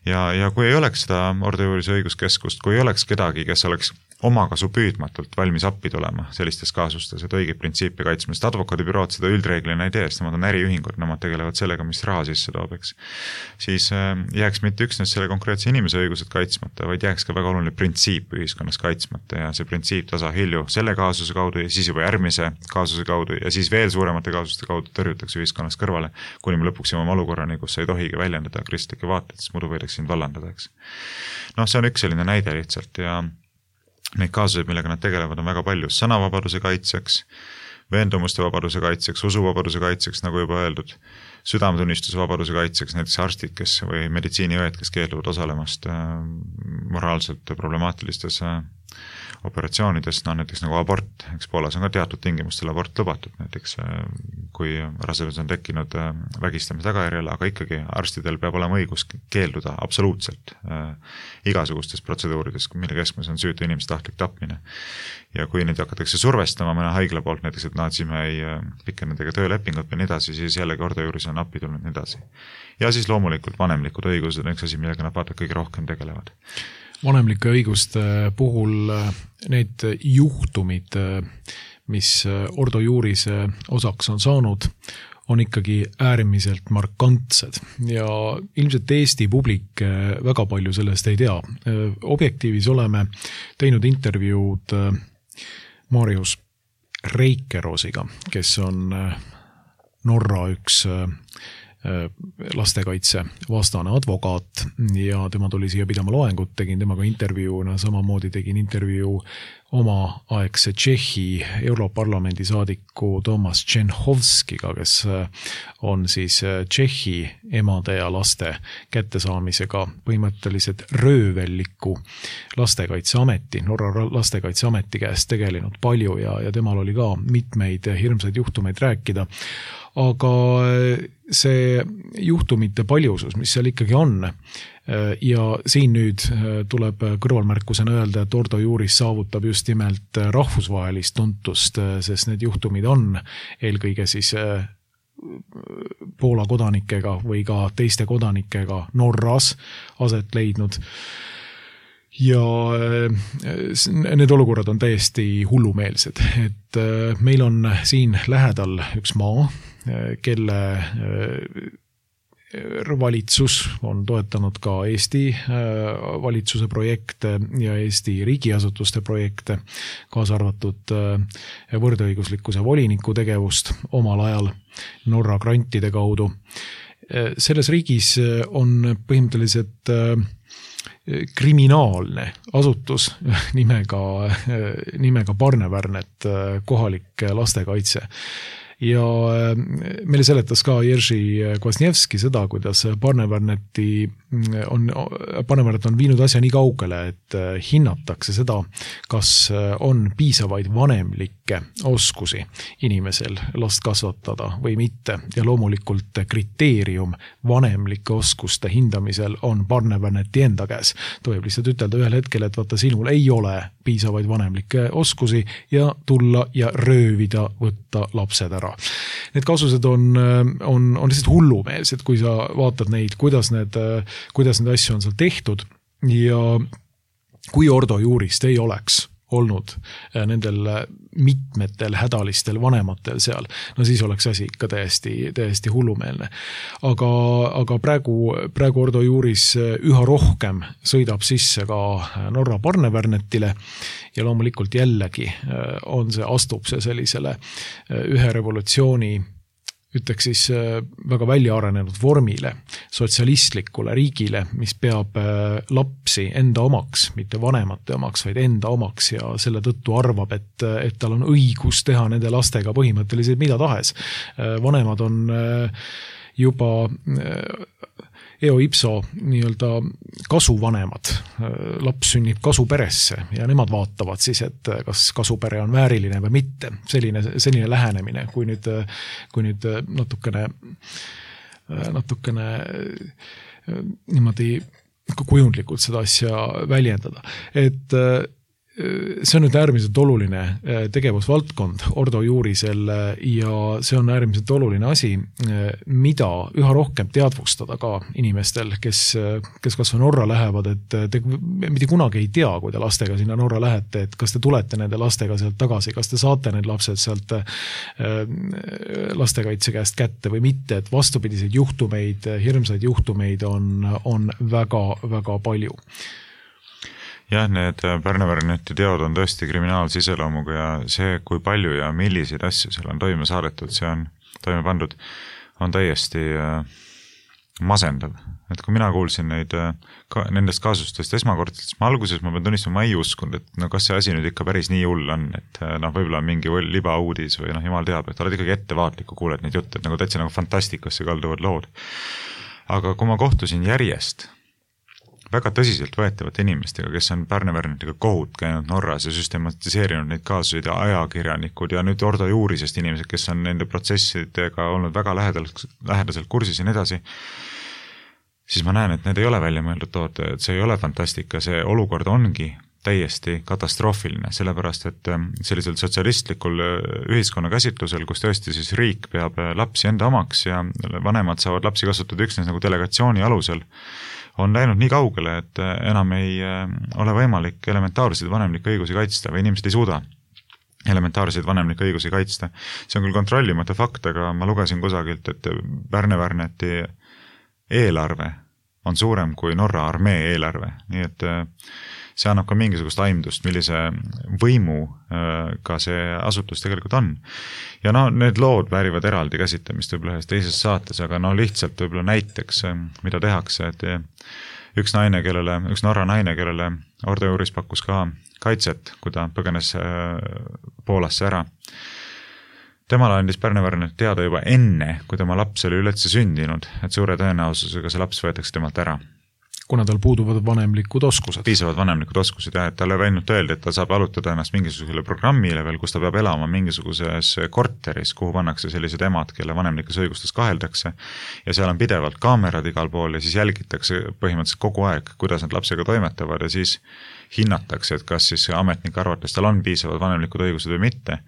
ja, ja kui ei oleks seda Ordo Juurise õiguskeskust, kui ei oleks kedagi, kes oleks omakasu püüdmatult valmis appi tulema sellistes kaasustes, et õigeid printsiipe kaitsma, sest advokaadibürood seda üldreeglina ei tee, sest nemad on äriühingud, nemad tegelevad sellega, mis raha sisse toob, eks. Siis jääks mitte üksnes selle konkreetse inimese õigused kaitsmata, vaid jääks ka väga oluline printsiip ühiskonnas kaitsmata ja see printsiip tasahilju selle kaasuse kaudu ja siis juba järgmise kaasuse kaudu ja siis veel suuremate kaasuste kaudu tõrjutakse ühiskonnas kõrvale, kuni me lõpuks jõuame olukorrani, kus ei tohigi väljendada kristlikke vaateid, sest muidu võidakse sind vallandada, eks. No see on üks selline näide lihtsalt ja neid kaasuseid, millega nad tegelevad, on väga palju sõnavabaduse kaitseks, veendumuste vabaduse kaitseks, usuvabaduse kaitseks, nagu juba öeldud, südametunnistuse vabaduse kaitseks, näiteks arstid, kes või meditsiiniõed, kes keelduvad osalemast moraalselt problemaatilistes operatsioonides, no näiteks nagu abort, eks Poolas on ka teatud tingimustel abort lubatud, näiteks kui rasedus on tekkinud vägistamise tagajärjel, aga ikkagi arstidel peab olema õigus keelduda absoluutselt igasugustest protseduuridest, mille keskmes on süütu inimese tahtlik tapmine. Ja kui neid hakatakse survestama mõne haigla poolt, näiteks, et naatsime ei pikke nendega töölepingut või nii edasi, siis jällegi Ordo Juuris on appi tulnud nii edasi. Ja siis loomulikult vanemlikud õigused on üks asi, millega nad vaata kõige rohkem tegelevad. Vanemlike õiguste puhul need juhtumid, mis Ordo Juurise osaks on saanud, on ikkagi äärmiselt markantsed ja ilmselt Eesti publik väga palju sellest ei tea. Objektiivis oleme teinud intervjuud Marius Reikeroosiga, kes on Norra üks lastekaitse vastane advokaat ja tema tuli siia pidama loengut, tegin temaga intervjuuna, samamoodi tegin intervjuu oma aegse Tšehhi Europarlamendi saadiku Tomas Tšenhovskiga, kes on siis Tšehhi emade ja laste kättesaamisega põhimõtteliselt röövelliku lastekaitseameti, Norra lastekaitseameti käest tegelenud palju ja, ja temal oli ka mitmeid hirmsaid juhtumeid rääkida. Aga see juhtumite paljusus, mis seal ikkagi on, ja siin nüüd tuleb kõrvalmärkusena öelda, et Ordo Juuris saavutab just nimelt rahvusvahelist tuntust, sest need juhtumid on eelkõige siis Poola kodanikega või ka teiste kodanikega Norras aset leidnud. Ja need olukorrad on täiesti hullumeelsed, et meil on siin lähedal üks maa, kelle valitsus on toetanud ka Eesti valitsuse projekte ja Eesti riigiasutuste projekte, kaasa arvatud võrdõiguslikkuse voliniku tegevust omal ajal Norra grantide kaudu. Selles riigis on põhimõtteliselt kriminaalne asutus nimega, nimega Barnevärnet, kohalik lastekaitse. Ja meile seletas ka Jerzy Kwasniewski seda, kuidas Barnevärneti on, Barnevärnet on viinud asja nii kaugele, et hinnatakse seda, kas on piisavaid vanemlikke oskusi inimesel last kasvatada või mitte. Ja loomulikult kriteerium vanemlike oskuste hindamisel on Barnevärneti enda käes. Tohib lihtsalt ütelda ühel hetkel, et vaata, sinul ei ole piisavaid vanemlikke oskusi ja tulla ja röövida, võtta lapsed ära. Need kaasused on, on, on lihtsalt hullumeelsed, kui sa vaatad neid, kuidas need, kuidas need asju on seal tehtud ja kui Ordo Juurist ei oleks olnud nendel mitmetel hädalistel vanematel seal, no siis oleks asi ikka täiesti, täiesti hullumeelne. Aga, aga praegu, praegu Ordo Juuris üha rohkem sõidab sisse ka Norra Barnevärnetile ja loomulikult jällegi on see, astub see sellisele ühe revolutsiooni ütleks siis väga välja arenenud vormile, sotsialistlikule riigile, mis peab lapsi enda omaks, mitte vanemate omaks, vaid enda omaks ja selle tõttu arvab, et, et tal on õigus teha nende lastega põhimõtteliselt mida tahes. Vanemad on juba eo ipso nii-öelda kasuvanemad, laps sünnib kasuperesse ja nemad vaatavad siis, et kas kasupere on vääriline või mitte. Selline, selline lähenemine, kui nüüd, kui nüüd natukene, natukene niimoodi kujundlikult seda asja väljendada. Et see on nüüd äärmiselt oluline tegevusvaldkond Ordo Juurisel ja see on äärmiselt oluline asi, mida üha rohkem teadvustada ka inimestel, kes, kes kas või Norra lähevad, et te mitte kunagi ei tea, kui te lastega sinna Norra lähete, et kas te tulete nende lastega sealt tagasi, kas te saate need lapsed sealt lastekaitse käest kätte või mitte, et vastupidiseid juhtumeid, hirmsaid juhtumeid on, on väga, väga palju. Jah, need Pärne-Pärneti teod on tõesti kriminaalse iseloomuga ja see, kui palju ja milliseid asju seal on toime saadetud, see on toime pandud, on täiesti masendav. Et kui mina kuulsin neid, ka, nendest kaasustest esmakordselt, siis ma alguses ma pean tunnistama, ma ei uskunud, et no kas see asi nüüd ikka päris nii hull on, et noh, võib-olla mingi libauudis või noh, jumal teab, et oled ikkagi ettevaatliku, kuuled neid jutte, et nagu täitsa nagu fantastikasse kalduvad lood. Aga kui ma kohtusin järjest väga tõsiselt võetavate inimestega, kes on Pärne-Pärnetiga kohut käinud Norras ja süstematiseerinud neid kaasusid ja ajakirjanikud ja nüüd Ordo Juurisest inimesed, kes on nende protsessidega olnud väga lähedalt, lähedaselt kursis ja nii edasi, siis ma näen, et need ei ole välja mõeldud toote, et see ei ole fantastika, see olukord ongi täiesti katastroofiline, sellepärast et sellisel sotsialistlikul ühiskonna käsitlusel, kus tõesti siis riik peab lapsi enda omaks ja vanemad saavad lapsi kasutada üksnes nagu delegatsiooni alusel, on läinud nii kaugele, et enam ei ole võimalik elementaarseid vanemlikke õigusi kaitsta või inimesed ei suuda elementaarseid vanemlikke õigusi kaitsta. See on küll kontrollimata fakt, aga ma lugesin kusagilt, et Pärne-Pärneti eelarve on suurem kui Norra armee eelarve, nii et see annab ka mingisugust aimdust, millise võimu ka see asutus tegelikult on. Ja no need lood väärivad eraldi käsitlemist võib-olla ühes teises saates, aga no lihtsalt võib-olla näiteks, mida tehakse, et üks naine, kellele, üks Norra naine, kellele Ordo Juuris pakkus ka kaitset, kui ta põgenes Poolasse ära. Temale andis Pärne-Pärnet teada juba enne, kui tema laps oli üldse sündinud, et suure tõenäosusega see laps võetakse temalt ära. Kuna tal puuduvad vanemlikud oskused. Piisavad vanemlikud oskused, jah, et talle ainult öeldi, et ta saab alutada ennast mingisugusele programmile veel, kus ta peab elama mingisuguses korteris, kuhu pannakse sellised emad, kelle vanemlikes õigustes kaheldakse ja seal on pidevalt kaamerad igal pool ja siis jälgitakse põhimõtteliselt kogu aeg, kuidas nad lapsega toimetavad ja siis hinnatakse, et kas siis ametnik arvates tal on piisavad vanemlikud õigused või mitte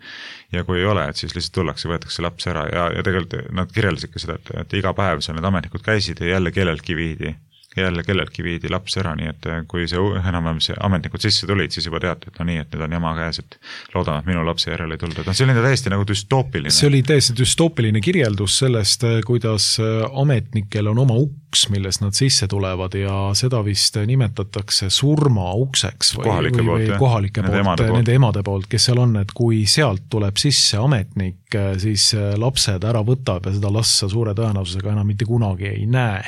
ja kui ei ole, et siis lihtsalt tullakse, võetakse laps ära ja, ja tegelikult nad kirjeldasidki seda, et, et iga päev seal need ametnikud käisid ja jälle kelleltki viidi jälle kelleltki viidi laps ära, nii et kui see enam-vähem see ametnikud sisse tulid, siis juba teati, et no nii, et nüüd on jama käes, et loodame, et minu lapse järele ei tulda. No, see oli täiesti nagu düstoopiline. See oli täiesti düstoopiline kirjeldus sellest, kuidas ametnikel on oma uks, millest nad sisse tulevad ja seda vist nimetatakse surma ukseks või kohalike või, poolt, või kohalike nende poolt, emade poolt. nende emade poolt, kes seal on, et kui sealt tuleb sisse ametnik, siis lapsed ära võtab ja seda lassa suure tõenäosusega enam mitte kunagi ei näe.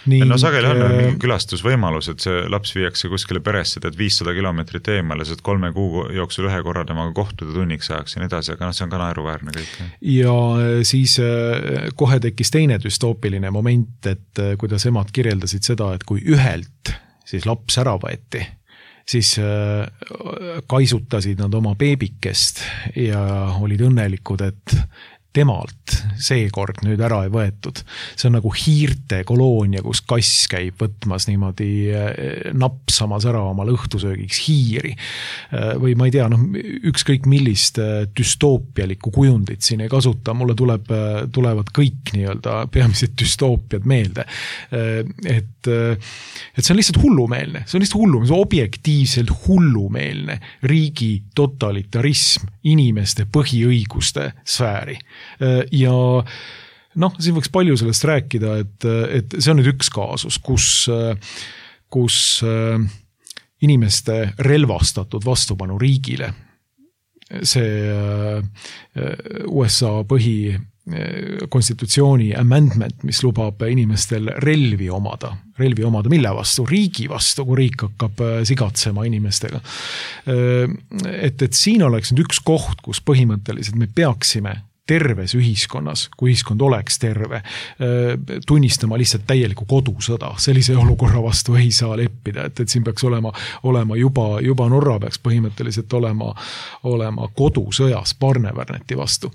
Nii, no sageli on mingi külastusvõimalus, et see laps viiakse kuskile peresse, et viissada kilomeetrit eemale, et kolme kuu jooksul ühe korra temaga kohtuda tunniks ajaks ja nii edasi, aga no see on ka naeruväärne kõik. Ja siis kohe tekkis teine düstoopiline moment, et kuidas emad kirjeldasid seda, et kui ühelt siis laps ära võeti, siis kaisutasid nad oma beebikest ja olid õnnelikud, et temalt seekord nüüd ära ei võetud. See on nagu hiirte koloonia, kus kass käib võtmas niimoodi napsamas ära oma õhtusöögiks hiiri. Või ma ei tea, noh, ükskõik millist düstoopialikku kujundit siin ei kasuta, mulle tuleb, tulevad kõik nii-öelda peamised düstoopiad meelde. Et, et see on lihtsalt hullumeelne, see on lihtsalt hullumeelne, see on objektiivselt hullumeelne riigi totalitarism inimeste põhiõiguste sfääri. Ja noh, siin võiks palju sellest rääkida, et, et see on nüüd üks kaasus, kus, kus inimeste relvastatud vastupanu riigile, see U S A põhi konstitutsiooni amendment, mis lubab inimestel relvi omada. Relvi omada mille vastu? Riigi vastu, kui riik hakkab sigatsema inimestega. Et, et siin oleks nüüd üks koht, kus põhimõtteliselt me peaksime terves ühiskonnas, kui ühiskond oleks terve, tunnistama lihtsalt täielikku kodusõda. Sellise olukorra vastu ei saa leppida, et, et siin peaks olema, olema juba, juba Norra peaks põhimõtteliselt olema, olema kodusõjas Pärne-Pärneti vastu.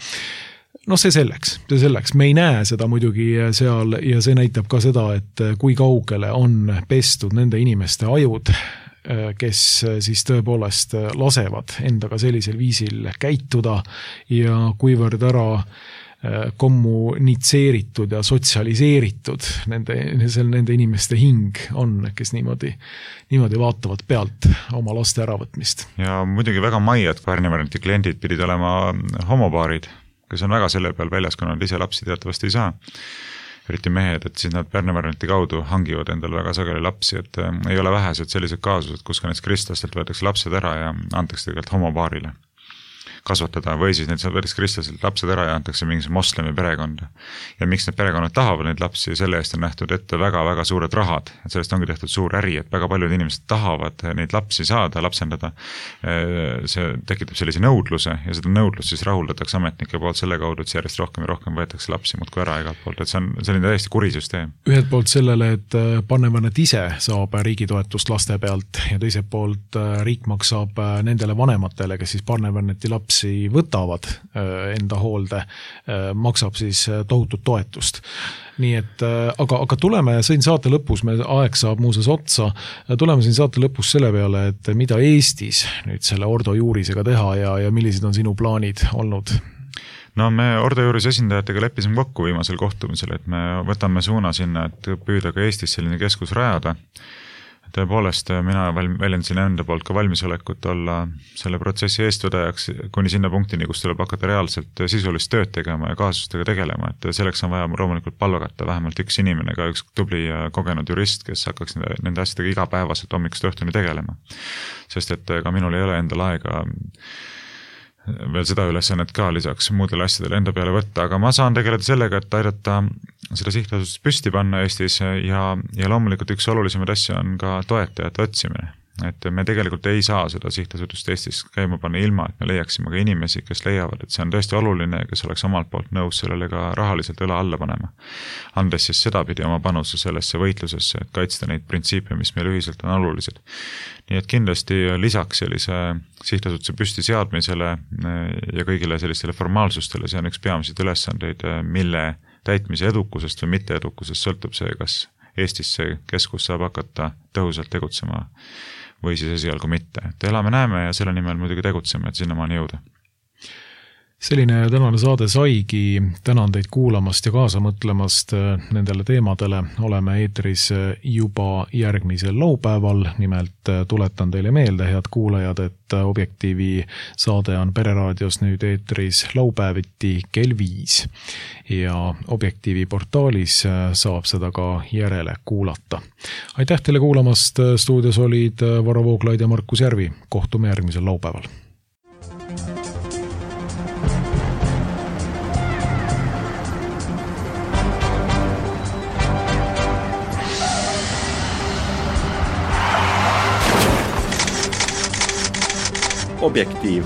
No see selleks, see selleks. Me ei näe seda muidugi seal ja see näitab ka seda, et kui kaugele on pestud nende inimeste ajud, kes siis tõepoolest lasevad endaga sellisel viisil käituda ja kuivõrd ära kommunitseeritud ja sotsialiseeritud nende, nende inimeste hing on, kes niimoodi, niimoodi vaatavad pealt oma laste äravõtmist. Ja muidugi väga maiad Pärnivaranti kliendid pidid olema homopaarid, kes on väga selle peal väljas, kui nad ise lapsi teatavasti ei saa. Eriti mehed, et siis nad Pärnivaranti kaudu hangivad endal väga sageli lapsi, et ei ole vähesed sellised kaasused, kus ka näiteks kristlastelt võetakse lapsed ära ja antakse tegelikult homopaarile kasvatada või siis need võetakse kristlaselt lapsed ära ja antakse mingisuguse moslemi perekonda. Ja miks need perekonnad tahavad neid lapsi, selle eest on nähtud ette väga-väga suured rahad, et sellest ongi tehtud suur äri, et väga paljud inimesed tahavad neid lapsi saada, lapsendada. See tekitab sellise nõudluse ja seda nõudlust siis rahuldatakse ametnike poolt selle kaudu, et järjest rohkem ja rohkem võetakse lapsi muudkui ära igalt poolt, et see on selline täiesti kuri süsteem. Ühed poolt sellele, et Pannevanet ise saab riigi toetust laste pealt ja teiselt poolt riik maksab nendele vanematele, kes siis Pannevaneti lapsi võtavad enda hoolde, maksab siis tohutut toetust. Nii et, aga, aga tuleme siin saate lõpus, me aeg saab muuses otsa, tuleme siin saate lõpus selle peale, et mida Eestis nüüd selle Ordo Juurisega teha ja, ja millised on sinu plaanid olnud? No me Ordo Juuris esindajatega leppisime kokku viimasel kohtumisel, et me võtame suuna sinna, et püüda ka Eestis selline keskus rajada. Tõepoolest, mina väljendasin enda poolt ka valmisolekut olla selle protsessi eestvedajaks kuni sinna punktini, kus tuleb hakata reaalselt sisulist tööd tegema ja kaasustega tegelema, et selleks on vaja loomulikult palgata vähemalt üks inimene, ka üks tubli kogenud jurist, kes hakkaks nende, nende asjadega igapäevaselt hommikust õhtuni tegelema. Sest et ka minul ei ole endal aega veel seda ülesannet ka lisaks muudele asjadele enda peale võtta, aga ma saan tegeleda sellega, et aidata seda sihtasutust püsti panna Eestis ja, ja loomulikult üks olulisemaid asja on ka toetajate otsimine. Et me tegelikult ei saa seda sihtasutust Eestis käima panna ilma, et me leiaksime ka inimesi, kes leiavad, et see on tõesti oluline, kes oleks omalt poolt nõus sellele ka rahaliselt õla alla panema. Andes siis seda pidi oma panuse sellesse võitlusesse, et kaitsta neid printsiipe, mis meil ühiselt on olulised. Nii et kindlasti lisaks sellise sihtasutuse püsti seadmisele ja kõigile sellistele formaalsustele, see on üks peamiseid ülesandeid, mille täitmise edukusest või mitte edukusest sõltub see, kas Eestis see keskus saab hakata tõhusalt tegutsema või siis esialgu mitte. Et elame näeme ja selle nimel muidugi tegutseme, et sinnamaani jõuda. Selline tänane saade saigi, tänan teid kuulamast ja kaasa mõtlemast nendele teemadele. Oleme eetris juba järgmisel laupäeval, nimelt tuletan teile meelde, head kuulajad, et Objektiivi saade on Pereraadios nüüd eetris laupäeviti kell viis ja Objektiivi portaalis saab seda ka järele kuulata. Aitäh teile kuulamast, stuudios olid Varro Vooglaid ja Markus Järvi. Kohtume järgmisel laupäeval. Objektiiv.